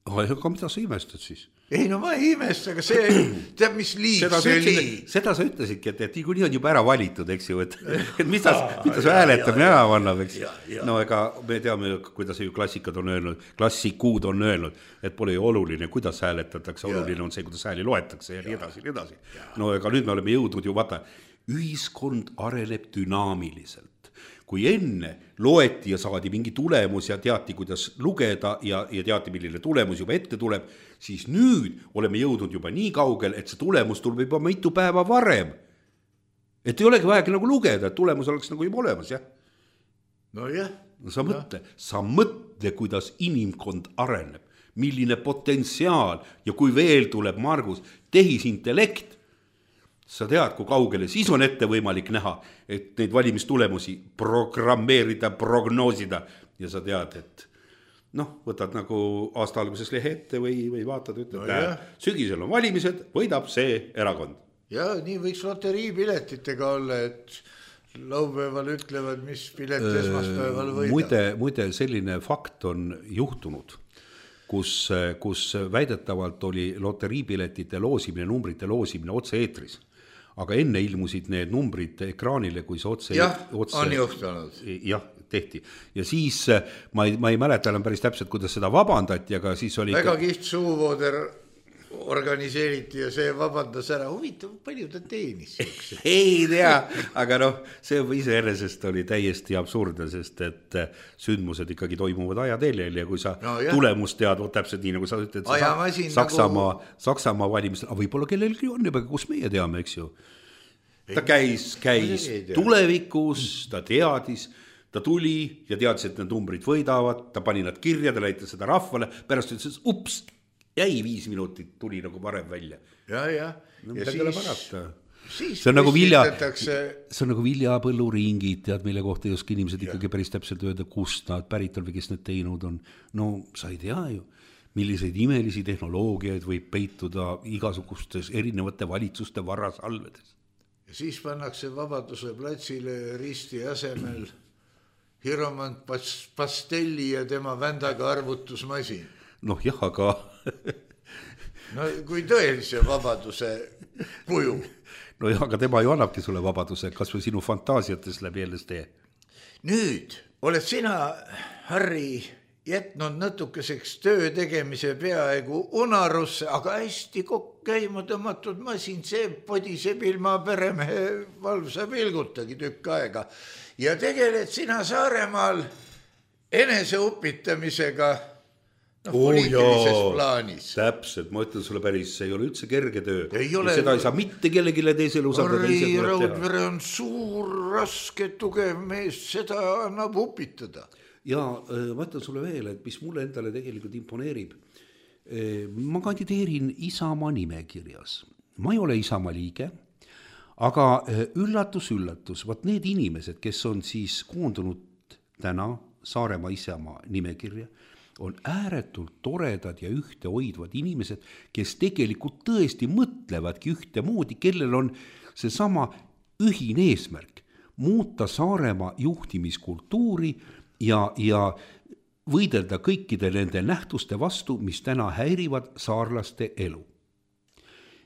Aga mida sa imestad siis? Ei, no ma ei imesta, aga see, teab mis liig seda see ütlesid, liig. Seda sa ütlesidki, et, et nii on juba ära valitud, eks ju, et, et mida, mida sa hääletamine ära vannab, eks. Ja, ja. No ega me teame, kuidas ju klassikad on öelnud, klassikuud on öelnud, et pole ju oluline, kuidas hääletatakse, oluline on see, kuidas hääli loetakse ja nii edasi, nii edasi. No ega nüüd me oleme jõudnud ju, vaata, ühiskond areneb dünaamiliselt. Kui enne loeti ja saadi mingi tulemus ja teati, kuidas lugeda ja, ja teati, milline tulemus juba ette tuleb, siis nüüd oleme jõudnud juba nii kaugel, et see tulemus tuleb juba mitu päeva varem. Et ei olegi vajagi nagu lugeda, et tulemus oleks nagu juba olemas, jah? No jah. No sa mõtle, no. sa mõtle, kuidas inimkond areneb, milline potentsiaal ja kui veel tuleb, Margus, tehisintellekt, sa tead, kui kaugele, siis on ette võimalik näha, et neid valimistulemusi programmeerida, prognoosida ja sa tead, et noh, võtad nagu aasta alguses lehe ette või, või vaatad, ütled, no näe, sügisel on valimised, võidab see erakond. Ja nii võiks loteriipiletitega olla, et laupäeval ütlevad, mis pilet esmaspäeval võidab. Muide, muide, selline fakt on juhtunud, kus, kus väidetavalt oli loteriipiletite loosimine, numbrite loosimine otse eetris. Aga enne ilmusid need numbrid ekraanile, kui see otse... Jah, otse, on juhtunud. Jah, tehti. Ja siis ma ei, ma ei mäleta enam päris täpselt, kuidas seda vabandati, aga siis oli... Väga kiht suuvooder organiseeriti ja see vabandas ära. Huvitav, palju ta teenis? Ei tea, aga noh, see iseenesest oli täiesti absurdne, sest et sündmused ikkagi toimuvad ajateljel ja kui sa no, tulemust tead, täpselt nii nagu sa ütled, Saksamaa, nagu... Saksamaa valimisel, aga võib-olla kellelgi on juba, kus meie teame, eks ju. Ta käis, käis tulevikus, ta teadis, ta tuli ja teadis, et need numbrid võidavad, ta pani nad kirja, ta näitas seda rahvale, pärast ütles, ups, jäi viis minutit, tuli nagu varem välja. Ja, ja. No, ja siis, siis see on nagu vilja, see on nagu viljapõlluringid, tead, mille kohta ei oska inimesed ja. Ikkagi päris täpselt öelda, kust nad pärit on või kes need teinud on. No sa ei tea ju, milliseid imelisi tehnoloogiaid võib peituda igasugustes erinevate valitsuste varasalvedes. Ja siis pannakse Vabaduse platsile risti asemel Hiromant Pastelli ja tema vändaga arvutusmasin. Noh jah, aga... no kui tõelise vabaduse kuju. No jah, aga tema ju annabki sulle vabaduse, kas või sinu fantaasiates läbi L S D. Nüüd oled sina, Harri, jätnud natukeseks töö tegemise peaaegu unarusse, aga hästi käima tõmmatud masin, see podiseb ilma peremehe valvsa pilgutagi tükk aega. Ja tegeled sina Saaremaal eneseupitamisega no, oh, poliitilises joo, plaanis. Täpselt, ma ütlen sulle päris, see ei ole üldse kerge töö. Ei ole, seda ei saa mitte kellegile teisele usaldada. Harri Raudvere on suur, raske, tugev mees, seda annab upitada. Ja ma ütlen sulle veel, et mis mulle endale tegelikult imponeerib. Ma kandideerin Isamaa nimekirjas. Ma ei ole Isamaa liige, aga üllatus, üllatus, vaat need inimesed, kes on siis koondunud täna Saaremaa Isamaa nimekirja, on ääretult toredad ja ühtehoidvad inimesed, kes tegelikult tõesti mõtlevadki ühtemoodi, kellel on seesama ühine eesmärk, muuta Saaremaa juhtimiskultuuri ja, ja võidelda kõikide nende nähtuste vastu, mis täna häirivad saarlaste elu.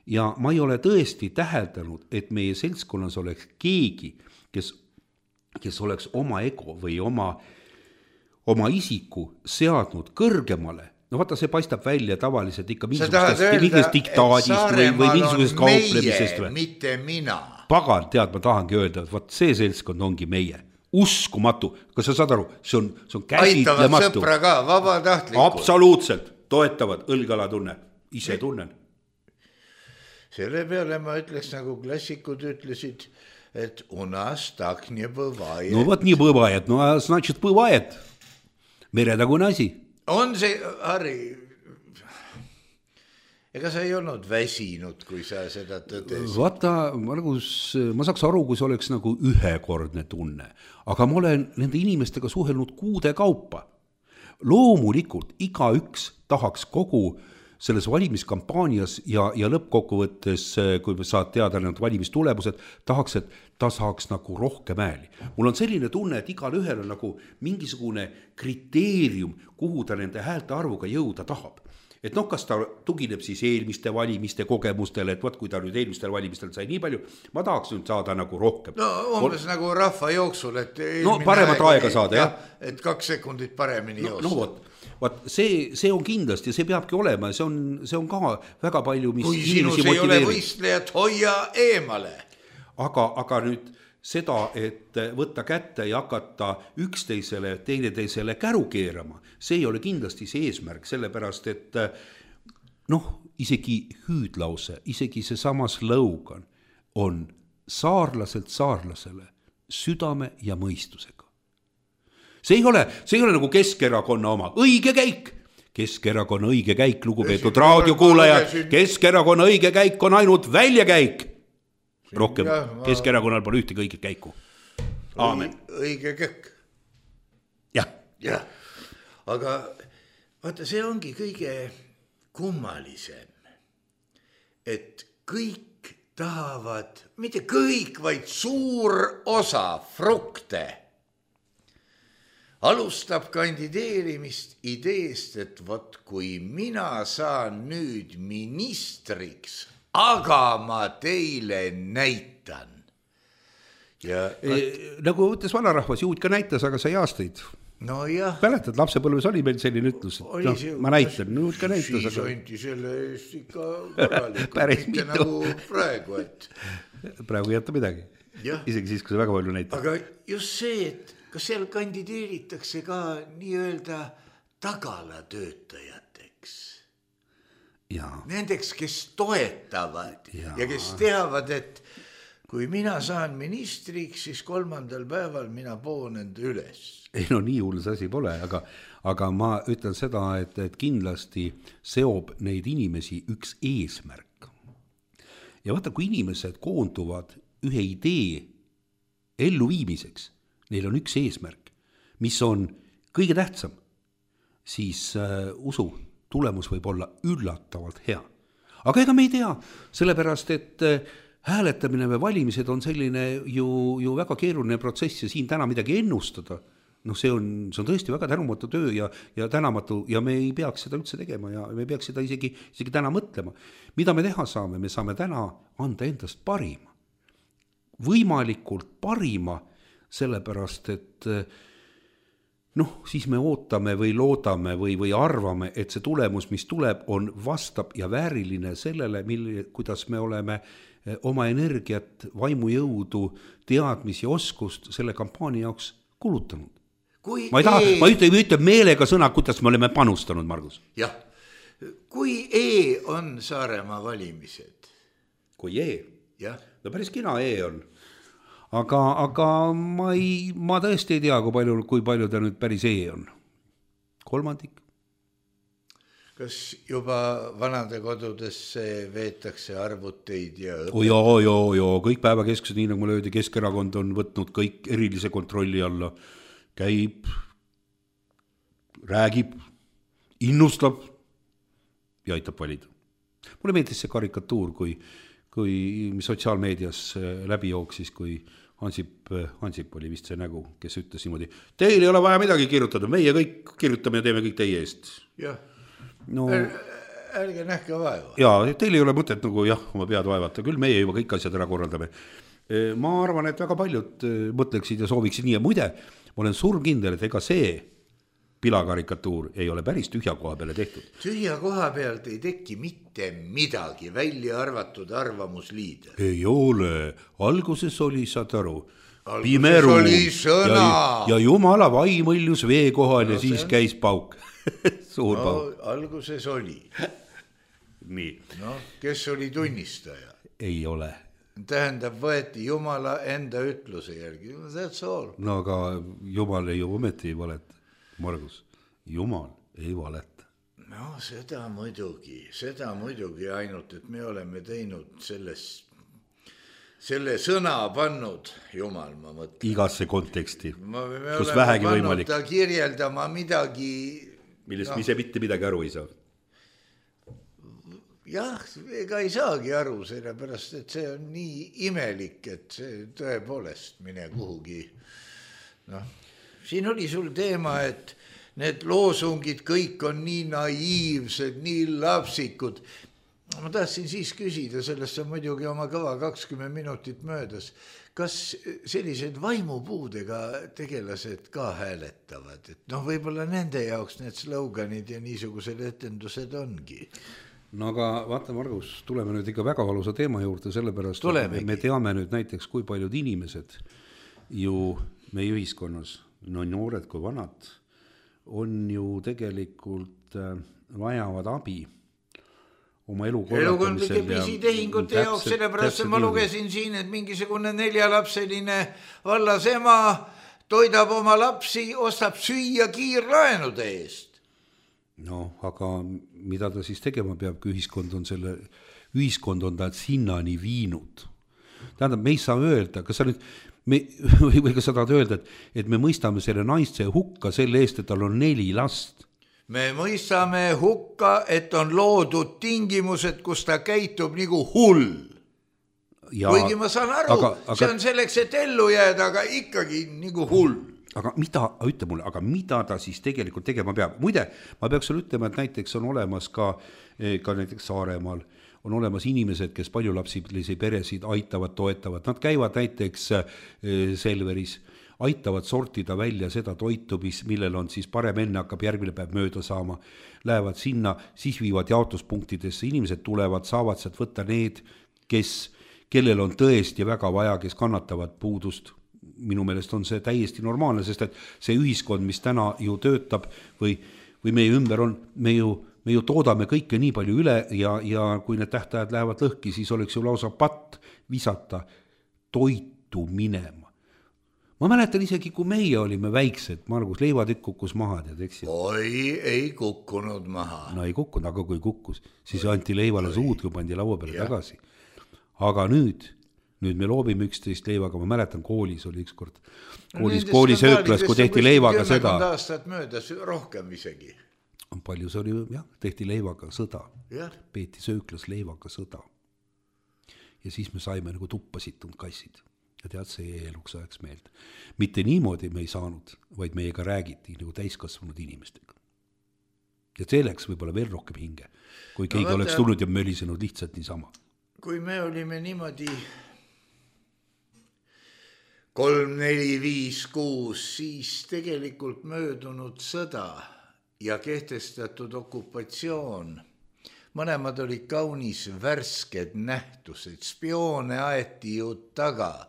Ja ma ei ole tõesti täheldanud, et meie seltskonnas oleks keegi, kes, kes oleks oma ego või oma oma isiku seadnud kõrgemale, no vaata, see paistab välja tavaliselt ikka mingisugusest diktaadist või, või mingisugusest kauplemisest. Meie, mitte mina. Pagan, tead, ma tahangi öelda, et vaat see seltskond ongi meie. Uskumatu, kas sa saad aru, see on, see on käsitlematu. Aitavad sõpra ka, vabatahtlikud. Absoluutselt, toetavad, õlgala tunne, ise tunnen. Selle peale ma ütleks, nagu klassikud ütlesid, et у нас так не бывает. No vot nii бывает, no значит бывает. Meretagune asi. On see, Harri, ega sa ei olnud väsinud, kui sa seda tõdesid? Vaata, ma, nagu, ma saaks aru, kui see oleks nagu ühekordne tunne, aga ma olen nende inimestega suhelnud kuude kaupa. Loomulikult iga üks tahaks kogu selles valimiskampaanias ja, ja lõppkokkuvõttes, kui saad teada need valimistulemused, tahaks, et ta saaks nagu rohkem ääli. Mul on selline tunne, et igal ühel on nagu mingisugune kriteerium, kuhu ta nende häälte arvuga jõuda tahab. Et noh, kas ta tugineb siis eelmiste valimiste kogemustele, et võt, kui ta nüüd eelmistel valimistel sai nii palju, ma tahaks nüüd saada nagu rohkem. No umbes Or... nagu rahva jooksul, et no, paremat aega saada, jah. Et kaks sekundit paremini no, joosta. No vot, vot see, see on kindlasti, see peabki olema, see on, see on ka väga palju, mis kui sinus ei ole võistlejat, hoia eemale. Aga, aga nüüd seda, et võtta kätte ja hakata üksteisele, teineteisele käru keerama, see ei ole kindlasti see eesmärk, sellepärast, et noh, isegi hüüdlause, isegi see sama slogan on saarlaselt saarlasele südame ja mõistusega. See ei ole, see ei ole nagu Keskerakonna oma õige käik. Keskerakonna õige käik, lugupeetud raadiokuulajad, Keskerakonna õige käik on ainult väljakäik. Rohkem ja, ma... Keskerakonnal pole ühtegi õiget käiku. Aamen. Õige käik. Jah. Ja. Aga vaata, see ongi kõige kummalisem, et kõik tahavad, mitte kõik, vaid suur osa frukte alustab kandideerimist ideest, et vot kui mina saan nüüd ministriks, aga ma teile näitan. Ja, e, nagu ütles vanarahvas, juud ka näitas, aga sai aastaid. No jah. Mäletad, lapsepõlves oli meil selline ütlus, et no, see, ma näitan, juud ka näitas. Siis aga... anti selle eest ikka korralikult. Päris mitu. Nagu praegu, et... praegu ei jätta midagi. Ja. Isegi siis, kui see väga palju näitab. Aga just see, et kas seal kandideeritakse ka nii-öelda tagalatöötajateks. Ja. Nendeks, kes toetavad ja. ja kes teavad, et kui mina saan ministriks, siis kolmandal päeval mina poon enda üles. Ei no nii hull see asi pole, aga, aga ma ütlen seda, et, et kindlasti seob neid inimesi üks eesmärk. Ja vaata, kui inimesed koonduvad ühe idee elluviimiseks, neil on üks eesmärk, mis on kõige tähtsam, siis äh, usu, tulemus võib olla üllatavalt hea. Aga ega me ei tea, sellepärast, et äh, hääletamine või valimised on selline ju, ju väga keeruline protsess ja siin täna midagi ennustada. No see on, see on tõesti väga tänumatu töö ja, ja tänamatu ja me ei peaks seda üldse tegema ja me peaks seda isegi, isegi täna mõtlema. Mida me teha saame? Me saame täna anda endast parima. Võimalikult parima, sellepärast, et noh, siis me ootame või loodame või, või arvame, et see tulemus, mis tuleb, on vastab ja vääriline sellele, mille, kuidas me oleme oma energiat, vaimujõudu, teadmisi ja oskust selle kampaania jaoks kulutanud. kui ma ei taha e..., ma ütle, ütle meelega sõna, kuidas me oleme panustanud, Margus. jah, kui E on Saaremaa valimised. kui E? jah. no päris kina E on. aga, aga ma ei, ma tõesti ei tea, kui palju, kui palju ta nüüd päris E on. kolmandik. kas juba vanade kodudesse veetakse arvuteid ja õpet? Oh, joo, joo, joo, kõik päevakeskused, nii nagu mulle öeldi, Keskerakond on võtnud kõik erilise kontrolli alla, käib, räägib, innustab ja aitab valida. Mulle meeldis see karikatuur, kui, kui sotsiaalmeedias läbi jooksis, kui Hansip, Hansip oli vist see nägu, kes ütles niimoodi, teil ei ole vaja midagi kirjutada, meie kõik kirjutame ja teeme kõik teie eest. jah. No, ärge nähke vaeva. Jaa, teil ei ole mõtet nagu jah, oma pead vaevata, küll meie juba kõik asjad ära korraldame. Ma arvan, et väga paljud mõtleksid ja sooviksid nii ja muide, ma olen surmkindel, et ega see pilakarikatuur ei ole päris tühja koha peale tehtud. Tühja koha pealt ei teki mitte midagi, välja arvatud arvamusliide. Ei ole, alguses oli, saad aru, alguses pimeru oli sõna. Ja, ja jumala vaim õljus vee kohal no, ja siis on... käis pauk. Suur no, pauk. Alguses oli. Nii. No, kes oli tunnistaja? Ei ole. Tähendab, võeti Jumala enda ütluse järgi. That's all. No aga Jumal ei ju ometi ei valeta. Margus, Jumal ei valeta. No seda muidugi, seda muidugi ainult, et me oleme teinud selles, selle sõna pannud, Jumal, ma mõtlen. Igasse konteksti, ma, me kus vähegi võimalik. Ta kirjeldama midagi. Millest no, ise mitte midagi aru ei saa. Jah, ega ei saagi aru, sellepärast, et see on nii imelik, et see tõepoolest mine kuhugi. Noh, siin oli sul teema, et need loosungid kõik on nii naiivsed, nii lapsikud. Ma tahtsin siis küsida, sellest on muidugi oma kõva kakskümmend minutit möödas. Kas sellised vaimupuudega tegelased ka hääletavad? Et noh, võib-olla nende jaoks need sloganid ja niisugused etendused ongi. No aga vaata, Margus, tuleme nüüd ikka väga valusa teema juurde, sellepärast Tulemegi. me teame nüüd näiteks, kui paljud inimesed ju meie ühiskonnas, no noored kui vanad, on ju tegelikult vajavad abi oma elu korraldamisel. Elukondlike pisitehingute jaoks, sellepärast ma lugesin siin, et mingisugune neljalapseline vallas ema toidab oma lapsi, ostab süüa kiirlaenude eest. No, aga mida ta siis tegema peab, kui ühiskond on selle, ühiskond on ta sinnani viinud. Tähendab, me ei saa öelda, kas sa nüüd, me, või kas sa tahad öelda, et, et me mõistame selle naiste hukka selle eest, et tal on neli last. Me mõistame hukka, et on loodud tingimused, kus ta käitub nagu hull. Ja, kuigi ma saan aru, aga, aga, see on selleks, et ellu jääda, aga ikkagi nagu hull. Aga mida, ütle mulle, aga mida ta siis tegelikult tegema peab? Muide, ma peaks sulle ütlema, et näiteks on olemas ka, ka näiteks Saaremaal, on olemas inimesed, kes paljulapsilisi peresid aitavad, toetavad. Nad käivad näiteks Selveris, aitavad sortida välja seda toitu, mis, millel on siis parem enne hakkab järgmine päev mööda saama. Lähevad sinna, siis viivad jaotuspunktidesse, inimesed tulevad, saavad sealt võtta need, kes, kellel on tõesti väga vaja, kes kannatavad puudust. Minu meelest on see täiesti normaalne, sest et see ühiskond, mis täna ju töötab või, või meie ümber on, me ju, me ju toodame kõike nii palju üle ja, ja kui need tähtajad lähevad lõhki, siis oleks ju lausa patt visata toitu minema. Ma mäletan isegi, kui meie olime väiksed, Margus, leivatükk kukkus maha, tead, eks? Oi, ei kukkunud maha. No ei kukkunud, aga kui kukkus, siis anti leivale suud, kui pandi laua peale ja. Tagasi. Aga nüüd... Nüüd me loobime üksteist leivaga, ma mäletan, koolis oli üks kord. Koolis, no, koolis ööklas, kui tehti leivaga sõda. Aastat möödas rohkem isegi. Palju see oli, jah, tehti leivaga sõda. Ja. Peeti sööklas leivaga sõda. Ja siis me saime nagu tuppasitunud kassid. Ja tead, see jäi eluks ajaks meelde. Mitte niimoodi me ei saanud, vaid meiega räägiti nagu täiskasvanud inimestega. Ja see läks võib-olla veel rohkem hinge, kui keegi no, oleks tulnud ja mölisenud lihtsalt niisama. Kui me olime niimoodi kolm, neli, viis, kuus, siis tegelikult möödunud sõda ja kehtestatud okupatsioon. Mõlemad olid kaunis värsked nähtused, spioone aeti ju taga.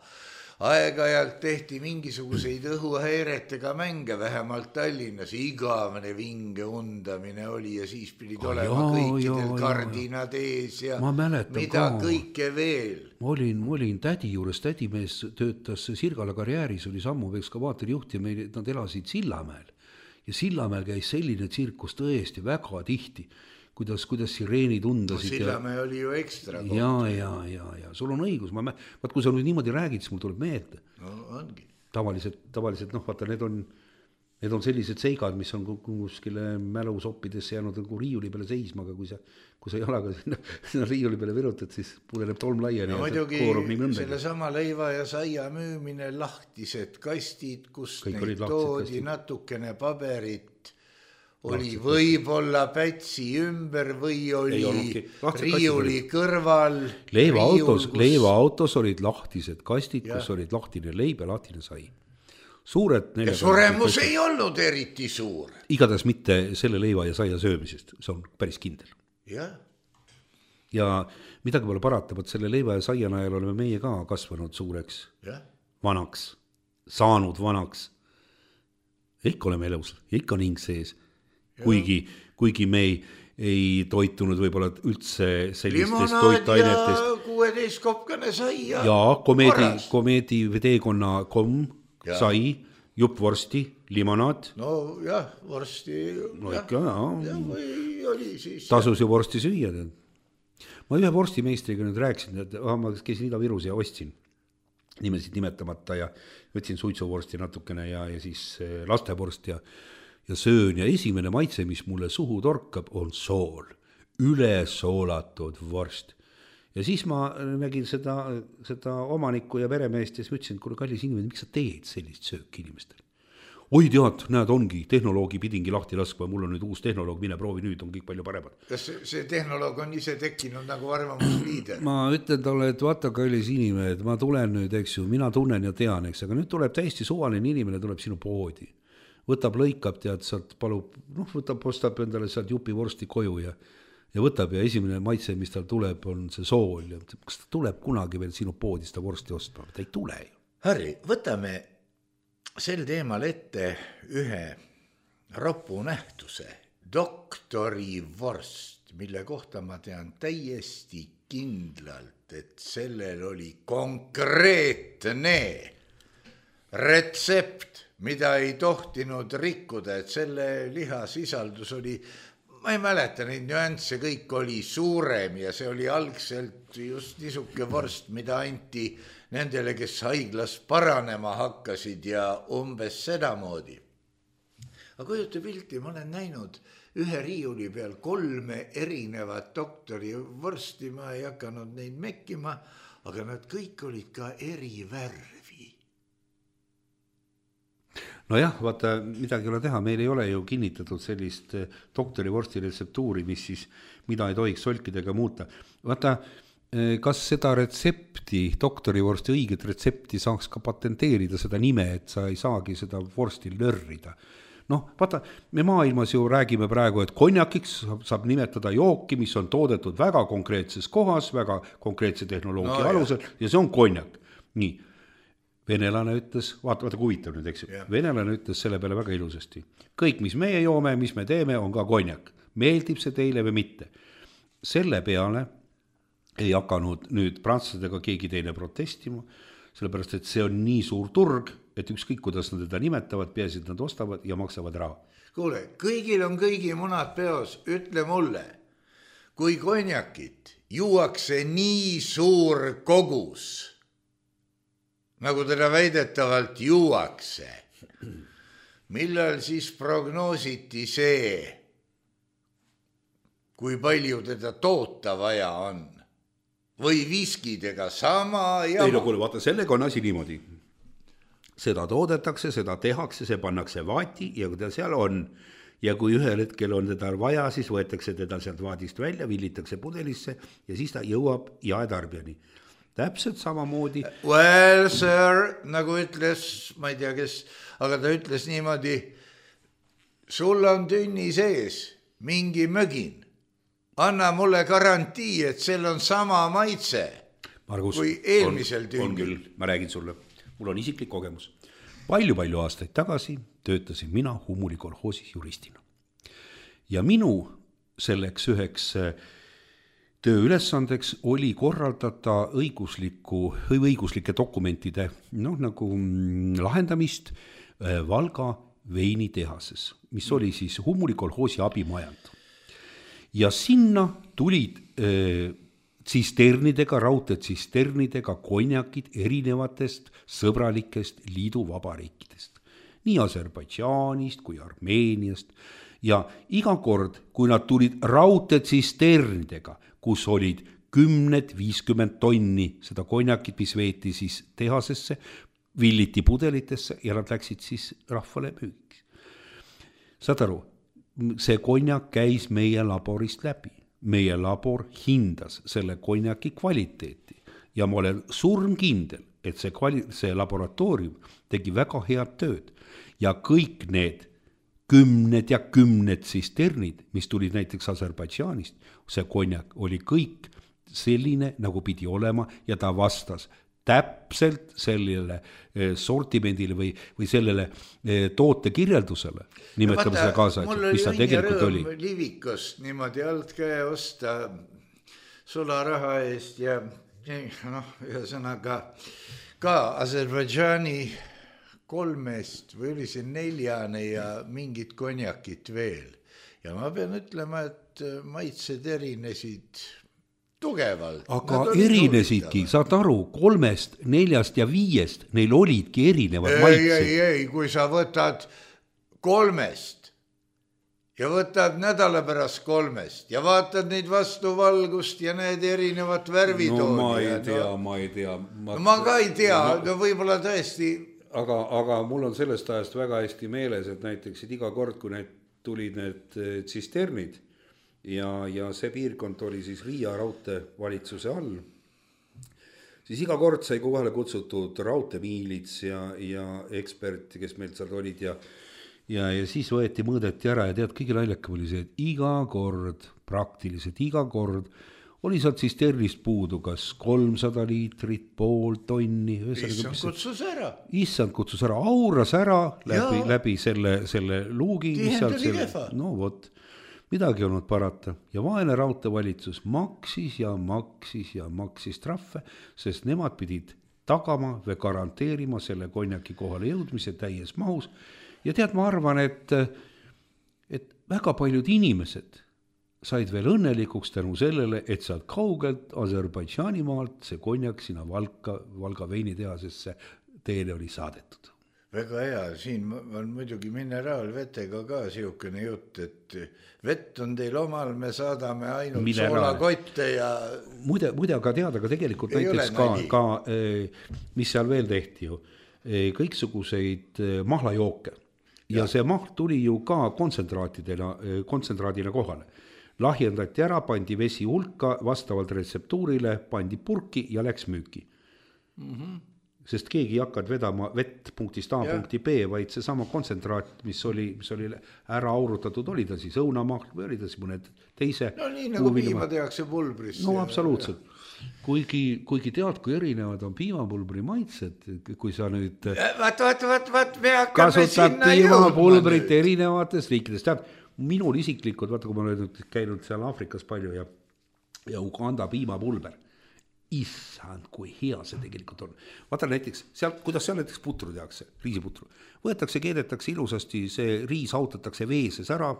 aeg-ajalt tehti mingisuguseid õhuhäiretega mänge, vähemalt Tallinnas, igavene vinge undamine oli ja siis pidid oh, olema jaa, kõikidel jaa, kardinad ees ja mida ka. Kõike veel. Ma olin, ma olin tädi juures, tädimees töötas Sirgala karjääris, oli sammu ekskavaatori juht ja meil, nad elasid Sillamäel ja Sillamäel käis selline tsirkus tõesti väga tihti. Kuidas, kuidas sireenid undasid. No Sillamäe ja... oli ju ekstra koht. Ja, ja, ja, ja sul on õigus. Ma, vaat kui sa nüüd niimoodi räägid, siis mul tuleb meelde. No ongi. Tavaliselt, tavaliselt noh, vaata, need on, need on sellised seigad, mis on kuskile mälusoppidesse jäänud nagu riiuli peale seisma, aga kui sa, kui sa jalaga sinna, sinna riiuli peale virutad, siis pudeneb tolm laiali. No muidugi selle sama leiva ja saia müümine, lahtised kastid, kus kõik neid toodi, kastid. Natukene paberit. Oli võib-olla pätsi ümber või oli riiuli kõrval. Leivaautos, kus... leivaautos olid lahtised kastid, ja. Kus olid lahtine leib ja lahtine sai. Suured ja suremus ei olnud eriti suur. Igatahes mitte selle leiva ja saia söömisest, see on päris kindel. Ja, ja midagi pole paratamat, selle leiva ja saia najal oleme meie ka kasvanud suureks, ja. Vanaks, saanud vanaks. Ikka oleme elus, ikka on hing sees. Kuigi, kuigi me ei, ei toitunud võib-olla üldse sellistest toitainetest. Limonaad ja kuueteist kopkane sai ja, ja komeedi, komeedi teekonna komm, ja. Sai, juppvorsti, limonaad. No jah, vorsti. No ikka, jah. Ja, või oli siis. Tasus ju vorsti süüa. Ma ühe vorstimeistriga nüüd rääkisin, et ah, ma käisin Ida-Virus ja ostsin nimesid nimetamata ja võtsin suitsuvorsti natukene ja, ja siis lastevorst ja ja söön ja esimene maitse, mis mulle suhu torkab, on sool, üle soolatud vorst. Ja siis ma nägin seda, seda omanikku ja peremeest ja siis mõtlesin, et kuule kallis inimene, miks sa teed sellist sööki inimestel? Oi tead, näed ongi, tehnoloogi pidingi lahti laskma, mul on nüüd uus tehnoloog, mine proovi nüüd, on kõik palju paremad. Kas see tehnoloog on ise tekkinud nagu arvamusliider? Ma ütlen talle, et vaata kallis inimene, et ma tulen nüüd, eks ju, mina tunnen ja tean, eks, aga nüüd tuleb täiesti suvaline inimene, tuleb sinu poodi. Võtab, lõikab, tead, sealt palub, noh, võtab, ostab endale sealt jupi vorsti koju ja, ja võtab ja esimene maitse, mis tal tuleb, on see sool. Ja kas ta tuleb kunagi veel sinu poodi seda vorsti ostma? Ta ei tule ju. Harri, võtame sel teemal ette ühe ropu nähtuse, doktori vorst, mille kohta ma tean täiesti kindlalt, et sellel oli konkreetne retsept, mida ei tohtinud rikkuda, et selle lihasisaldus oli, ma ei mäleta neid nüansse, kõik oli suurem ja see oli algselt just niisuke vorst, mida anti nendele, kes haiglas paranema hakkasid ja umbes sedamoodi. Aga kujuta pilti, ma olen näinud ühe riiuli peal kolme erinevat doktori vorsti, ma ei hakanud neid mekkima, aga nad kõik olid ka eri värvi. No jah, vaata, midagi ei ole teha, meil ei ole ju kinnitatud sellist doktori vorsti retseptuuri, mis siis, mida ei tohiks solkidega muuta. Vaata, kas seda retsepti, doktori vorsti õiget retsepti saaks ka patenteerida seda nime, et sa ei saagi seda vorsti lörrida. Noh, vaata, me maailmas ju räägime praegu, et konjakiks saab nimetada jooki, mis on toodetud väga konkreetses kohas, väga konkreetse tehnoloogia no, alusel ja see on konjak. Nii. Venelane ütles, vaata, vaata kuvitab nüüd, eks ju, yeah. Venelane ütles selle peale väga ilusasti. Kõik, mis meie joome, mis me teeme, on ka konjak. Meeldib see teile või mitte? Selle peale ei hakanud nüüd prantslastega keegi teine protestima, sellepärast, et see on nii suur turg, et ükskõik, kuidas nad teda nimetavad, peaasi, et nad ostavad ja maksavad raha. Kuule, kõigil on kõigi munad peos, ütle mulle, kui konjakit juuakse nii suur kogus, nagu teda väidetavalt juuakse. Millal siis prognoositi see, kui palju teda toota vaja on? Või viskidega sama ja... Ei no kuule, vaata, sellega on asi niimoodi. Seda toodetakse, seda tehakse, see pannakse vaati ja kui ta seal on. Ja kui ühel hetkel on teda vaja, siis võetakse teda sealt vaadist välja, villitakse pudelisse ja siis ta jõuab jaetarbijani. Täpselt samamoodi. Well, sir, nagu ütles, ma ei tea kes, aga ta ütles niimoodi, sul on tünni sees mingi mögin. Anna mulle garantii, et sel on sama maitse Margus, kui eelmisel on, tünnil. on küll, ma räägin sulle. mul on isiklik kogemus. Palju-palju aastaid tagasi töötasin mina Humuli kolhoosis juristina. Ja minu selleks üheks tööülesandeks oli korraldada õigusliku, õiguslike dokumentide noh, nagu lahendamist Valga veinitehases, mis oli siis Humuli kolhoosi abimajand. Ja sinna tulid äh, tsisternidega, raudteetsisternidega konjakid erinevatest sõbralikest liiduvabariikidest. Nii Aserbaidžaanist kui Armeeniast. Ja iga kord, kui nad tulid raudteetsisternidega, kus olid kümned, viiskümmend tonni seda konjakit, mis veeti siis tehasesse, villiti pudelitesse ja nad läksid siis rahvale müügiks. Saad aru, see konjak käis meie laborist läbi. Meie labor hindas selle konjaki kvaliteeti ja ma olen surmkindel, et see, kvali- see laboratoorium tegi väga head tööd ja kõik need kümned ja kümned tsisternid, mis tulid näiteks Aserbaidžaanist, see konjak oli kõik selline, nagu pidi olema ja ta vastas täpselt sellele sortimendile või, või sellele toote kirjeldusele, nimetame seda kaasaegselt, mis ta tegelikult oli. Mul oli livikust niimoodi alt käe osta sularaha eest ja noh, ühesõnaga ka Aserbaidžaani kolmest või oli see neljane ja mingid konjakid veel. Ja ma pean ütlema, et maitsed erinesid tugevalt. Aga erinesidki, saad aru, kolmest, neljast ja viiest, neil olidki erinevad maitsed. Ei, ei, ei, kui sa võtad kolmest ja võtad nädala pärast kolmest ja vaatad neid vastu valgust ja need erinevat värvitooni. No ma ei tea, no, ma ei tea. Ma, ma ka ei tea, no, no võib-olla tõesti. Aga, aga mul on sellest ajast väga hästi meeles, et näiteks et iga kord, kui need tulid need tsisternid, Ja, ja see piirkond oli siis Riia raudteevalitsuse all, siis iga kord sai kohale kutsutud raudteemiilits ja, ja ekspert, kes meil seal olid ja, ja, ja siis võeti mõõdeti ära ja tead, kõige naljakam oli see, et iga kord, praktiliselt iga kord oli sealt tsisternist puudu kas kolmsada liitrit, pool tonni. Issand kutsus ära. Issand kutsus ära, auras ära läbi, läbi selle, selle luugi. Tihendali kehva. No vot. Midagi olnud parata ja vaene raudteevalitsus maksis ja maksis ja maksis trahve, sest nemad pidid tagama või garanteerima selle konjaki kohale jõudmise täies mahus. Ja tead, ma arvan, et, et väga paljud inimesed said veel õnnelikuks tänu sellele, et saad kaugelt Aserbaidžaani maalt see konjak sinna Valka, Valga veinitehasesse teele oli saadetud. Väga hea, siin on muidugi mineraalvetega ka siukene jutt, et vett on teil omal, me saadame ainult soolakotte ja... Muide, muide aga teada, aga tegelikult ei näiteks ka, ka, mis seal veel tehti ju, kõiksuguseid mahlajooke. Ja, ja see mahl tuli ju ka kontsentraatidena, kontsentraadina kohale. Lahjendati ära, pandi vesi hulka, vastavalt retseptuurile pandi purki ja läks müüki. Mhm. Sest keegi ei hakkad vedama vett punktist A ja. Punkti B, vaid see sama kontsentraat, mis oli, mis oli ära aurutatud, oli ta siis õunamahl või oli ta siis mõned teise. No nii nagu piima tehakse pulbrisse. No absoluutselt. Kuigi, kuigi tead, kui erinevad on piimapulbri maitsed, kui sa nüüd vaat, vaat, vaat, vaat, me hakkame sinna piimapulbrit erinevates riikides. Tead, minul isiklikult, vaata kui ma olen käinud seal Aafrikas palju ja, ja Uganda piimapulber. Issand, kui hea see tegelikult on. Vaata näiteks, seal, kuidas seal näiteks putru tehakse, riisiputru. Võetakse, keedetakse ilusasti, see riis autatakse veeses ära,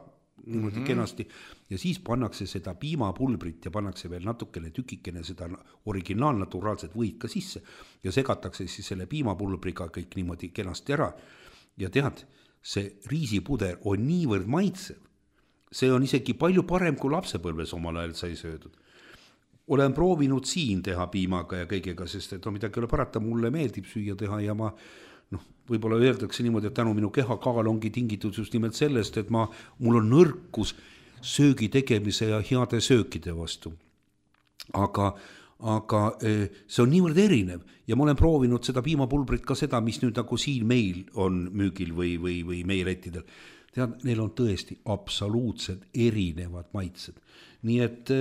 niimoodi mm-hmm. kenasti, ja siis pannakse seda piimapulbrit ja pannakse veel natukene tükikene seda originaalnaturaalset võid ka sisse ja segatakse siis selle piimapulbriga kõik niimoodi kenasti ära. Ja tead, see riisipuder on niivõrd maitsev. See on isegi palju parem kui lapsepõlves omal ajal sai söödud. Olen proovinud siin teha piimaga ja kõigega, sest et on midagi ole parata, mulle meeldib süüa teha ja ma noh, võib-olla öeldakse niimoodi, et tänu minu kehakaal ongi tingitud just nimelt sellest, et ma, mul on nõrkus söögi tegemise ja heade söökide vastu. Aga, aga see on niivõrd erinev ja ma olen proovinud seda piimapulbrit ka seda, mis nüüd nagu siin meil on müügil või, või, või meie lettidel. Tead, neil on tõesti absoluutselt erinevad maitsed. Nii et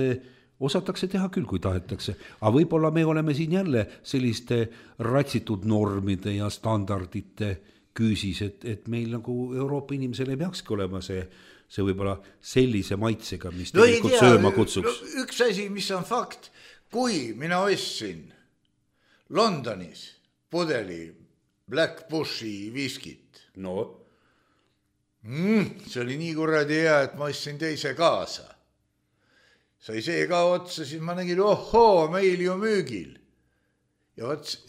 osatakse teha küll, kui tahetakse, aga võib-olla me oleme siin jälle selliste ratsitud normide ja standardite küüsis, et, et meil nagu Euroopa inimesel ei peakski olema see, see võib-olla sellise maitsega, mis no tegelikult tea, sööma kutsuks. No, üks asi, mis on fakt, kui mina ostsin Londonis pudeli Black Bushi viskit, no mm, see oli nii kuradi hea, et ma ostsin teise kaasa. Sai see ka otsa, siis ma nägin, ohoo, meil ju müügil. Ja ots,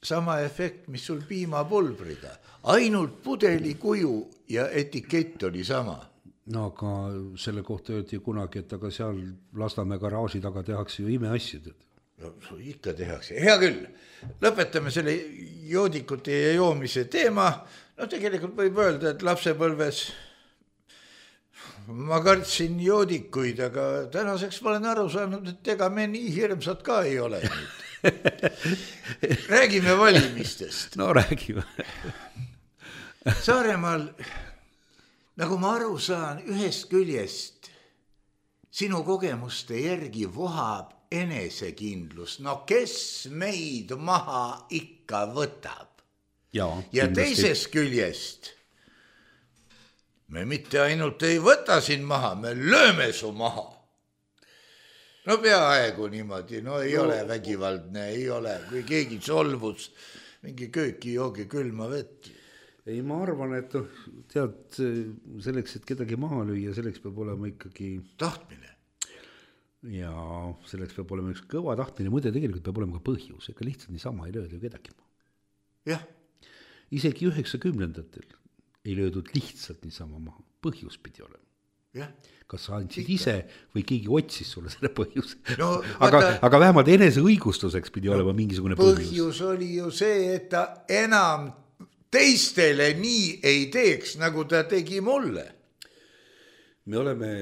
sama efekt, mis sul piimapulbriga. Ainult pudeli kuju ja etikett oli sama. No aga selle kohta öeldi kunagi, et aga seal Lasnamäe garaaži taga tehakse ju imeasjad. No ikka tehakse. Hea küll, lõpetame selle joodikute ja joomise teema. No tegelikult võib öelda, et lapsepõlves ma kartsin joodikuid, aga tänaseks ma olen aru saanud, et ega me nii hirmsad ka ei ole nüüd. Räägime valimistest. No räägime. Saaremaal, nagu ma aru saan, ühest küljest sinu kogemuste järgi vohab enesekindlus. No kes meid maha ikka võtab? Ja, ja teisest küljest me mitte ainult ei võta siin maha, me lööme su maha. No peaaegu niimoodi, no ei no. ole vägivaldne, ei ole, kui keegi solvus, mingi kööki joogi külma vett. Ei, ma arvan, et tead, selleks, et kedagi maha lüüa, selleks peab olema ikkagi tahtmine. Ja selleks peab olema üks kõva tahtmine, muide tegelikult peab olema ka põhjus, ega lihtsalt niisama ei lööda ju kedagi maha. Jah. Isegi üheksakümnendatel ei löödud lihtsalt niisama maha, põhjus pidi olema. Ja. Kas sa andsid Ikka. ise või keegi otsis sulle selle põhjus? No, aga, vaata, aga vähemalt enese õigustuseks pidi no, olema mingisugune põhjus. Põhjus oli ju see, et ta enam teistele nii ei teeks, nagu ta tegi mulle. Me oleme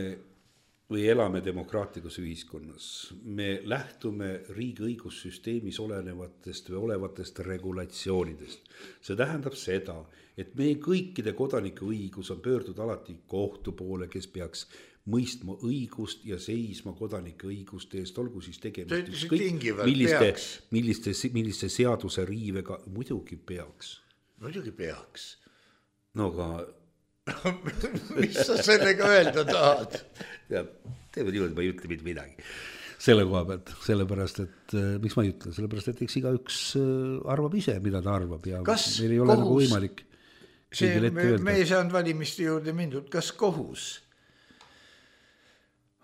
või elame demokraatlikus ühiskonnas. Me lähtume riigi õigussüsteemis olenevatest või olevatest regulatsioonidest. See tähendab seda, et meie kõikide kodanike õigus on pöörduda alati kohtu poole, kes peaks mõistma õigust ja seisma kodanike õiguste eest, olgu siis tegemist ükskõik milliste, milliste, milliste seaduse riivega, muidugi peaks. Muidugi peaks. No aga mis sa sellega öelda tahad? Ja, teeme niimoodi, ma ei ütle mitte midagi selle koha pealt, sellepärast, et miks ma ei ütle, sellepärast, et eks iga üks arvab ise, mida ta arvab ja kas meil ei ole kohus, nagu võimalik see, me, me ei saanud valimiste juurde mindud, kas kohus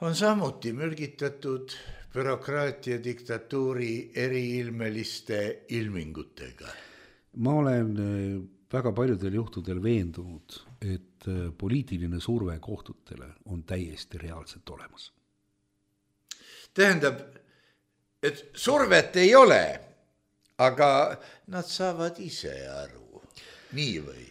on samuti mürgitatud bürokraatia diktatuuri eriilmeliste ilmingutega? Ma olen väga paljudel juhtudel veendunud, et poliitiline surve kohtutele on täiesti reaalselt olemas. Tähendab, et survet ei ole, aga nad saavad ise aru. Nii või?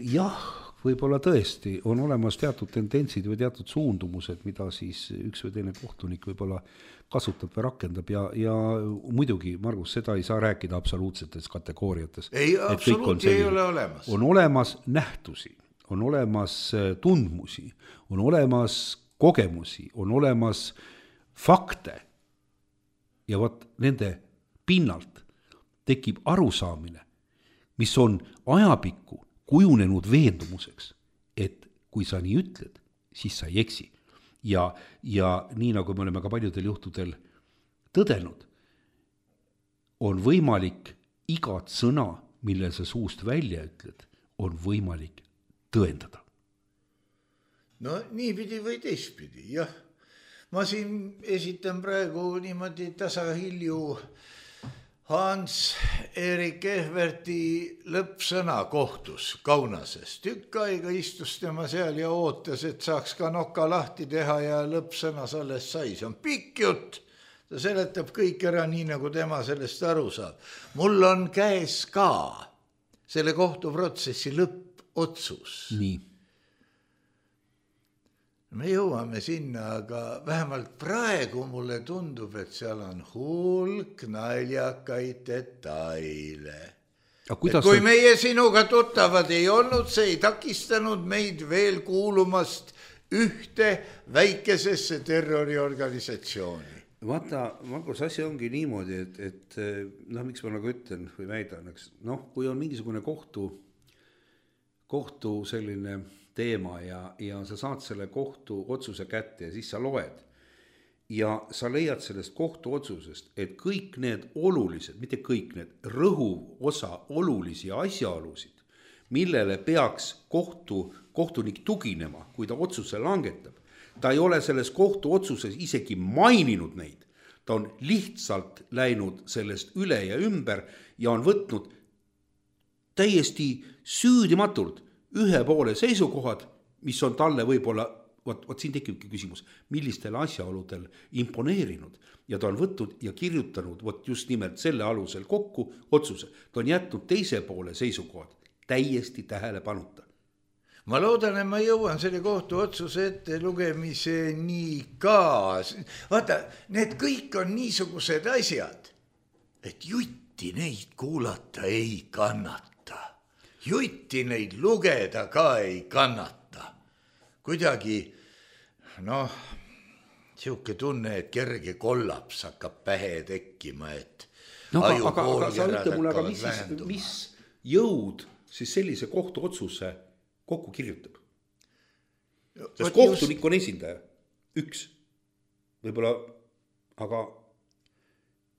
Jah, võib-olla tõesti on olemas teatud tendentsid või teatud suundumused, mida siis üks või teine kohtunik võib-olla kasutab või rakendab ja, ja muidugi, Margus, seda ei saa rääkida absoluutsetes kategooriates. Ei, absoluuti ei ole olemas. On olemas nähtusi, on olemas tundmusi, on olemas kogemusi, on olemas fakte ja võt nende pinnalt tekib arusaamine, mis on ajapikku kujunenud veendumuseks, et kui sa nii ütled, siis sa ei eksi. Ja, ja nii nagu me oleme ka paljudel juhtudel tõdenud, on võimalik igat sõna, mille sa suust välja ütled, on võimalik tõendada. No niipidi või teistpidi, jah. Ma siin esitan praegu niimoodi tasahilju Hans-Erik Ehverti lõppsõna kohtus Kaunasest. Tükk aega istus tema seal ja ootas, et saaks ka noka lahti teha ja lõppsõnas alles sai. See on pikk jutt. Ta seletab kõik ära nii, nagu tema sellest aru saab. Mul on käes ka selle kohtuprotsessi lõppotsus. Nii. Me jõuame sinna, aga vähemalt praegu mulle tundub, et seal on hulk naljakaid detaile. Kui on... meie sinuga tuttavad ei olnud, see ei takistanud meid veel kuulumast ühte väikesesse terroriorganisatsiooni. vaata, Margus, asi ongi niimoodi, et, et noh, miks ma nagu ütlen või väidan, eks, noh, kui on mingisugune kohtu, kohtu selline teema ja, ja sa saad selle kohtu otsuse kätte ja siis sa loed ja sa leiad sellest kohtu otsusest, et kõik need olulised, mitte kõik need, rõhuv osa olulisi asjaolusid, millele peaks kohtu, kohtunik tuginema, kui ta otsuse langetab, ta ei ole selles kohtu otsuses isegi maininud neid, ta on lihtsalt läinud sellest üle ja ümber ja on võtnud täiesti süüdimatult ühe poole seisukohad, mis on talle võib-olla, vot, vot siin tekibki küsimus, millistel asjaoludel imponeerinud ja ta on võtnud ja kirjutanud vot just nimelt selle alusel kokku otsuse, ta on jätnud teise poole seisukohad täiesti tähelepanuta. Ma loodan, et ma jõuan selle kohtu otsuse ette lugemiseni ka. Vaata, need kõik on niisugused asjad, et jutti neid kuulata ei kannata. Jutti neid lugeda ka ei kannata. Kuidagi, noh, siuke tunne, et kerge kollaps hakkab pähe tekkima, et no, aga, aga, aga sa ütle mulle, aga mis, mis jõud siis sellise kohtu otsuse kokku kirjutab? Sest kohtunik on esindaja, üks, võib-olla, aga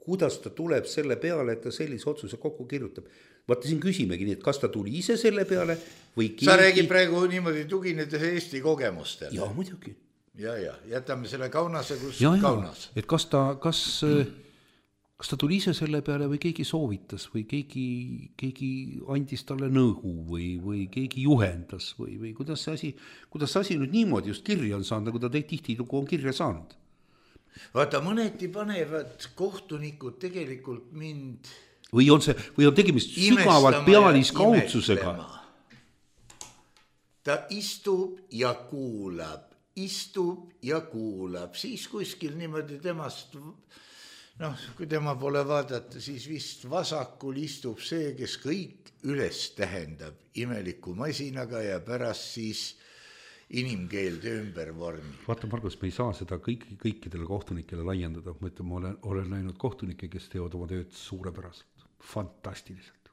kuidas ta tuleb selle peale, et ta sellise otsuse kokku kirjutab? Vaata, siin küsimegi nii, et kas ta tuli ise selle peale või keegi... Sa räägid praegu niimoodi tuginedes Eesti kogemustele. Jaa, muidugi. Ja, ja, jätame selle Kaunase, kus ja, Kaunas. Ja, et kas ta, kas, kas ta tuli ise selle peale või keegi soovitas või keegi, keegi andis talle nõu või, või keegi juhendas või, või kuidas see asi, kuidas see asi nüüd niimoodi just kirja on saanud, nagu ta tihti on kirja saanud? Vaata, mõneti panevad kohtunikud tegelikult mind... Või on see, või on tegemist sügavalt pealiskaudsusega? Ta istub ja kuulab, istub ja kuulab, siis kuskil niimoodi temast, noh, kui tema pole vaadata, siis vist vasakul istub see, kes kõik üles tähendab imeliku masinaga ja pärast siis inimkeelde ümber vormi. Vaata, Margus, me ei saa seda kõik, kõikidele kohtunikele laiendada. Ma ütlen, ma olen, olen näinud kohtunikke, kes teevad oma tööd suurepäraselt, fantastiliselt.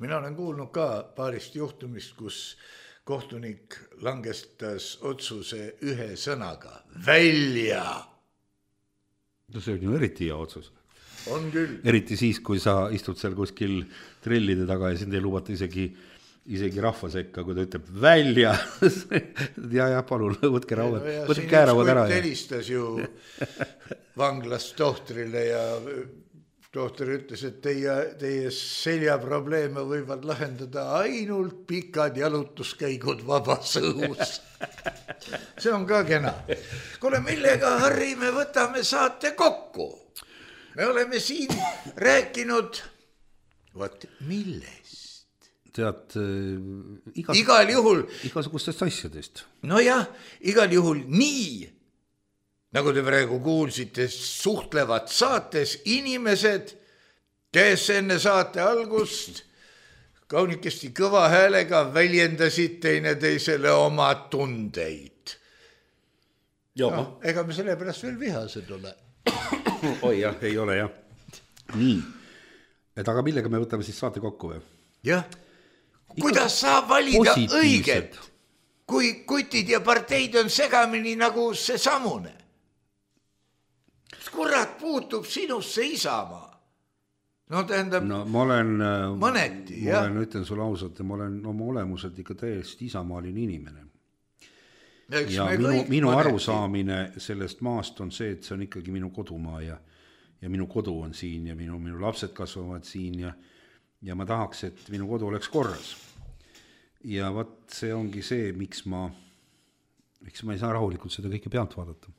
Mina olen kuulnud ka paarist juhtumist, kus kohtunik langestas otsuse ühe sõnaga. Välja! No see on ju eriti hea otsus. On küll. Eriti siis, kui sa istud seal kuskil trellide taga ja sind ei lubata isegi isegi rahva sekka, kui ta ütleb välja. ja, ja, palun, võtke rauad, võtke käärauad ära. Ja helistas ju vanglast tohtrile ja tohter ütles, et teie, teie seljaprobleeme võivad lahendada ainult pikad jalutuskäigud vabas õhus. See on ka kena. Kuule, millega, Harri, me võtame saate kokku? Me oleme siin rääkinud, võt, milles? Tead, igas, igal juhul igasugustest asjadest. No jah, igal juhul nii, nagu te praegu kuulsite, suhtlevad saates inimesed, kes enne saate algust kaunikesti kõva häälega väljendasid teine teisele oma tundeid. No, ega me selle pärast veel vihased ole. Oi jah, ei ole jah. Nii, et aga millega me võtame siis saate kokku või? Jah. Kuidas saab valida õiget, kui kutid ja parteid on segamini nagu see samune? Kurat puutub sinusse Isamaa. No tähendab, no, ma olen, mõneti, ma olen, ütlen sulle ausalt, ma olen oma olemuselt ikka täiesti isamaaline inimene. Ja, ja minu, minu arusaamine sellest maast on see, et see on ikkagi minu kodumaa ja, ja minu kodu on siin ja minu, minu lapsed kasvavad siin ja ja ma tahaks, et minu kodu oleks korras. Ja võt, see ongi see, miks ma, miks ma ei saa rahulikult seda kõike pealt vaadata.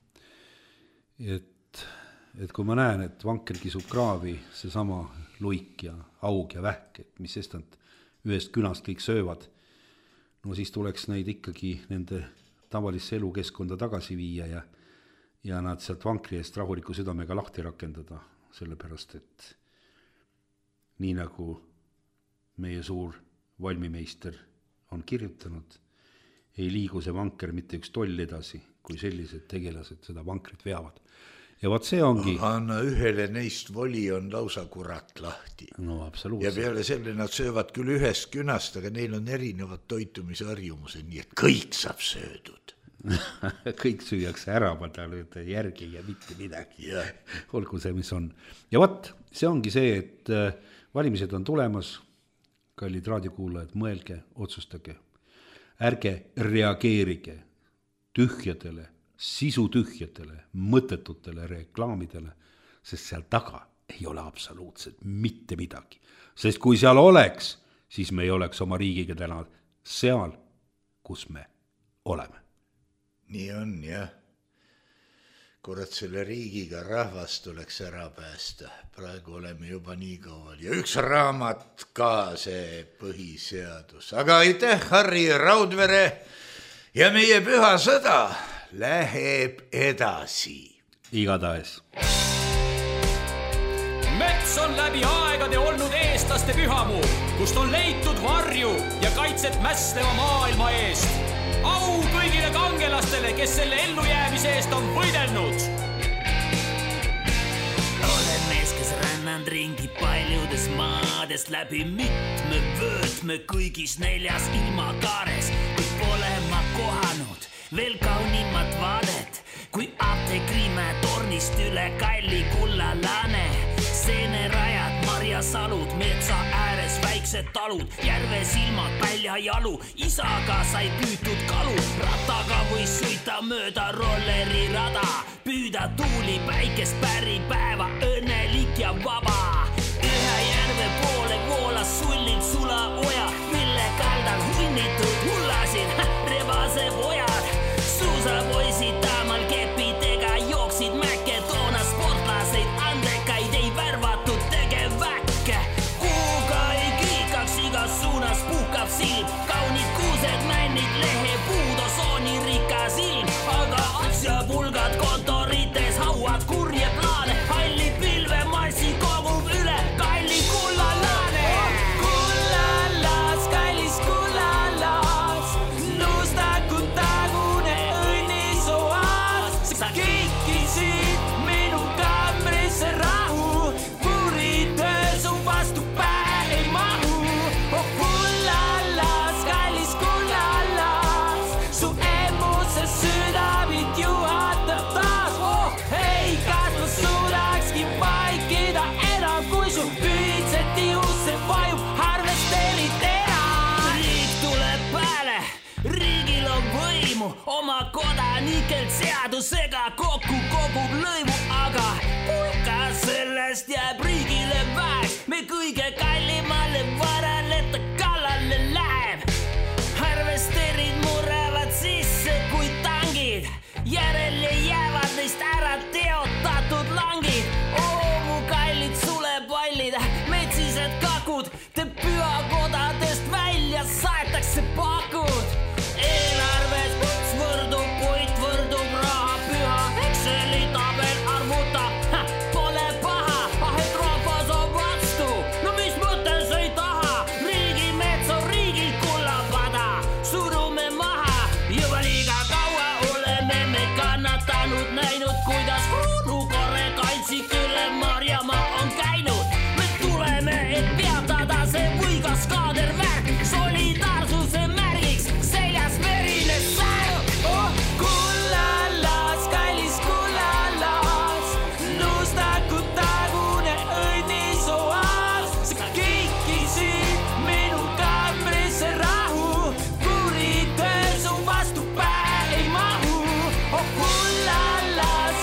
Et, et kui ma näen, et vanker kisub kraavi, see sama luik ja aug ja vähk, et mis sestant ühest künast kõik söövad, no siis tuleks neid ikkagi nende tavalisse elukeskkonda tagasi viia ja, ja nad sealt vankri eest rahuliku südamega lahti rakendada, sellepärast, et nii nagu meie suur valmimeister on kirjutanud, ei liigu see vanker mitte üks toll edasi, kui sellised tegelased seda vankrit veavad. ja vot see ongi. Anna ühele neist voli on lausa kurat lahti. No absoluutselt. Ja peale selle nad söövad küll ühest künast, aga neil on erinevad toitumisharjumused, nii et kõik saab söödud. kõik süüakse ära, ma tahan öelda järgi ja mitte midagi. Yeah. Olgu see, mis on. Ja vot, see ongi see, et valimised on tulemas, kallid raadiokuulajad, mõelge, otsustage. Ärge reageerige tühjadele, sisutühjadele, mõttetutele reklaamidele, sest seal taga ei ole absoluutselt mitte midagi. Sest kui seal oleks, siis me ei oleks oma riigiga täna seal, kus me oleme. Nii on, jah. Kurat, selle riigiga rahvast tuleks ära päästa. Praegu oleme juba nii kaual. Ja üks raamat ka, see põhiseadus. Aga aitäh, Harri Raudvere, ja meie püha sõda läheb edasi. Igatahes. Mets on läbi aegade olnud eestlaste pühamuu, kust on leitud varju ja kaitset mästeva maailma eest. Au kõigile kangelastele, kes selle ellujäämise eest on võidelnud. Olen mees, kes rännanud ringi paljudes maades läbi mitme vöötme kõigis neljas ilmakaares, kui pole ma kohanud veel kaunimat vaadet, kui apteekrimäe tornist üle kalli kullalane. Seenerajad, marjasalud, metsa ääres väiksed talud, järve silmad, pälja jalu, isaga sai püütud kalu. Rataga võis sõita mööda rolleri rada, püüda tuuli päikest päri päeva, õnnelik ja vaba. Ühe järve poole voolas sullilt sula oja, mille kaldal hunnitud hullasid rebase pojad. Suusapoisid taamal kepidega jooksid mäkke, toona sportlaseid andekaid ei värvatud tegeväkke. Kuuga ei kiikaks, igas suunas puhkab silm, kaunid kuused, männid, lehe, puudosooni rikas ilm. Aga asjapulgad kontorites hauad kurje plaane, halli pilve massi kogub üle kalli kullalane. Kullalas, kallis kullalas, nustakud tagune õnnisoas. Sa kikisid minu kambrisse rahu, kuritöö su vastu päe ei mahu. Oh kullalas, kallis kullalas, su emuse südamit juhatab taas. Oh hei, kas ma suudakski vaikida enam, kui su püüdsed tiusse vajub harvesteerid enam. Riik tuleb pääle, riigil on võimu, oma kodanikelt seadusega kokku kogub lõivu, aga pulka sellest jääb riigile väeks, me kõige kallimale varale ta kallale läheb. Harvesteerid murravad sisse kui tangid, järele jäävad neist ära teotatud langid. Oo mu kallid sulepallid, metsised kakud, te pühakodadest välja saetakse pakud. Eelarves puts võrdub puit, võrdub raha püha, Exceli tabel arvutab, pole paha, ah et rahvas on vastu, no mis mõttes ei taha, riigi mets on riigil kullapada, surume maha, juba liiga kaua oleme me kannatanud, näinud, kuidas kruunukorre kaitsik üle Marjamaa on käinud. Me tuleme, et peatada see võigas kaadervärk, solidaarsuse märgiks seljas verine särg. Oh kullalas, kallis kullalas, nustakud tagune õnnisoas. Sa kikisid minu kambrisse rahu, kuritöö su vastu päe ei mahu. Oh kullalas,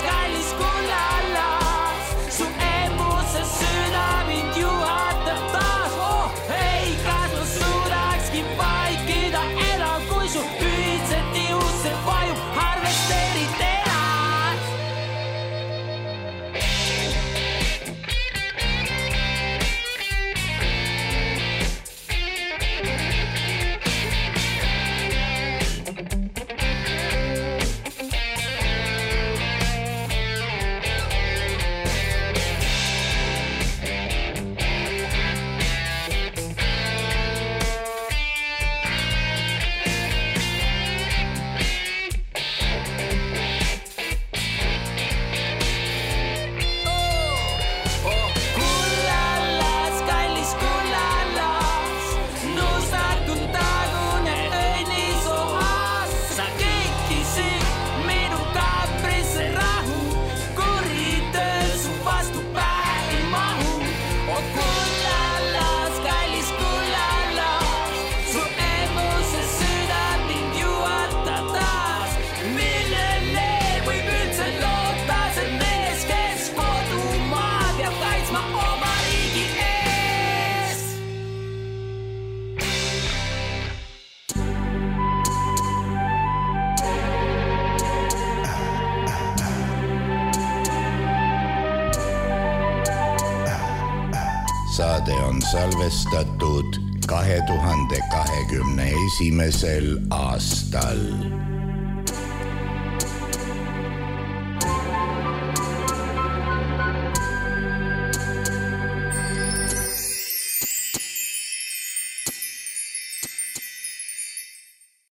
saade on salvestatud kahe tuhande kahekümne esimesel aastal.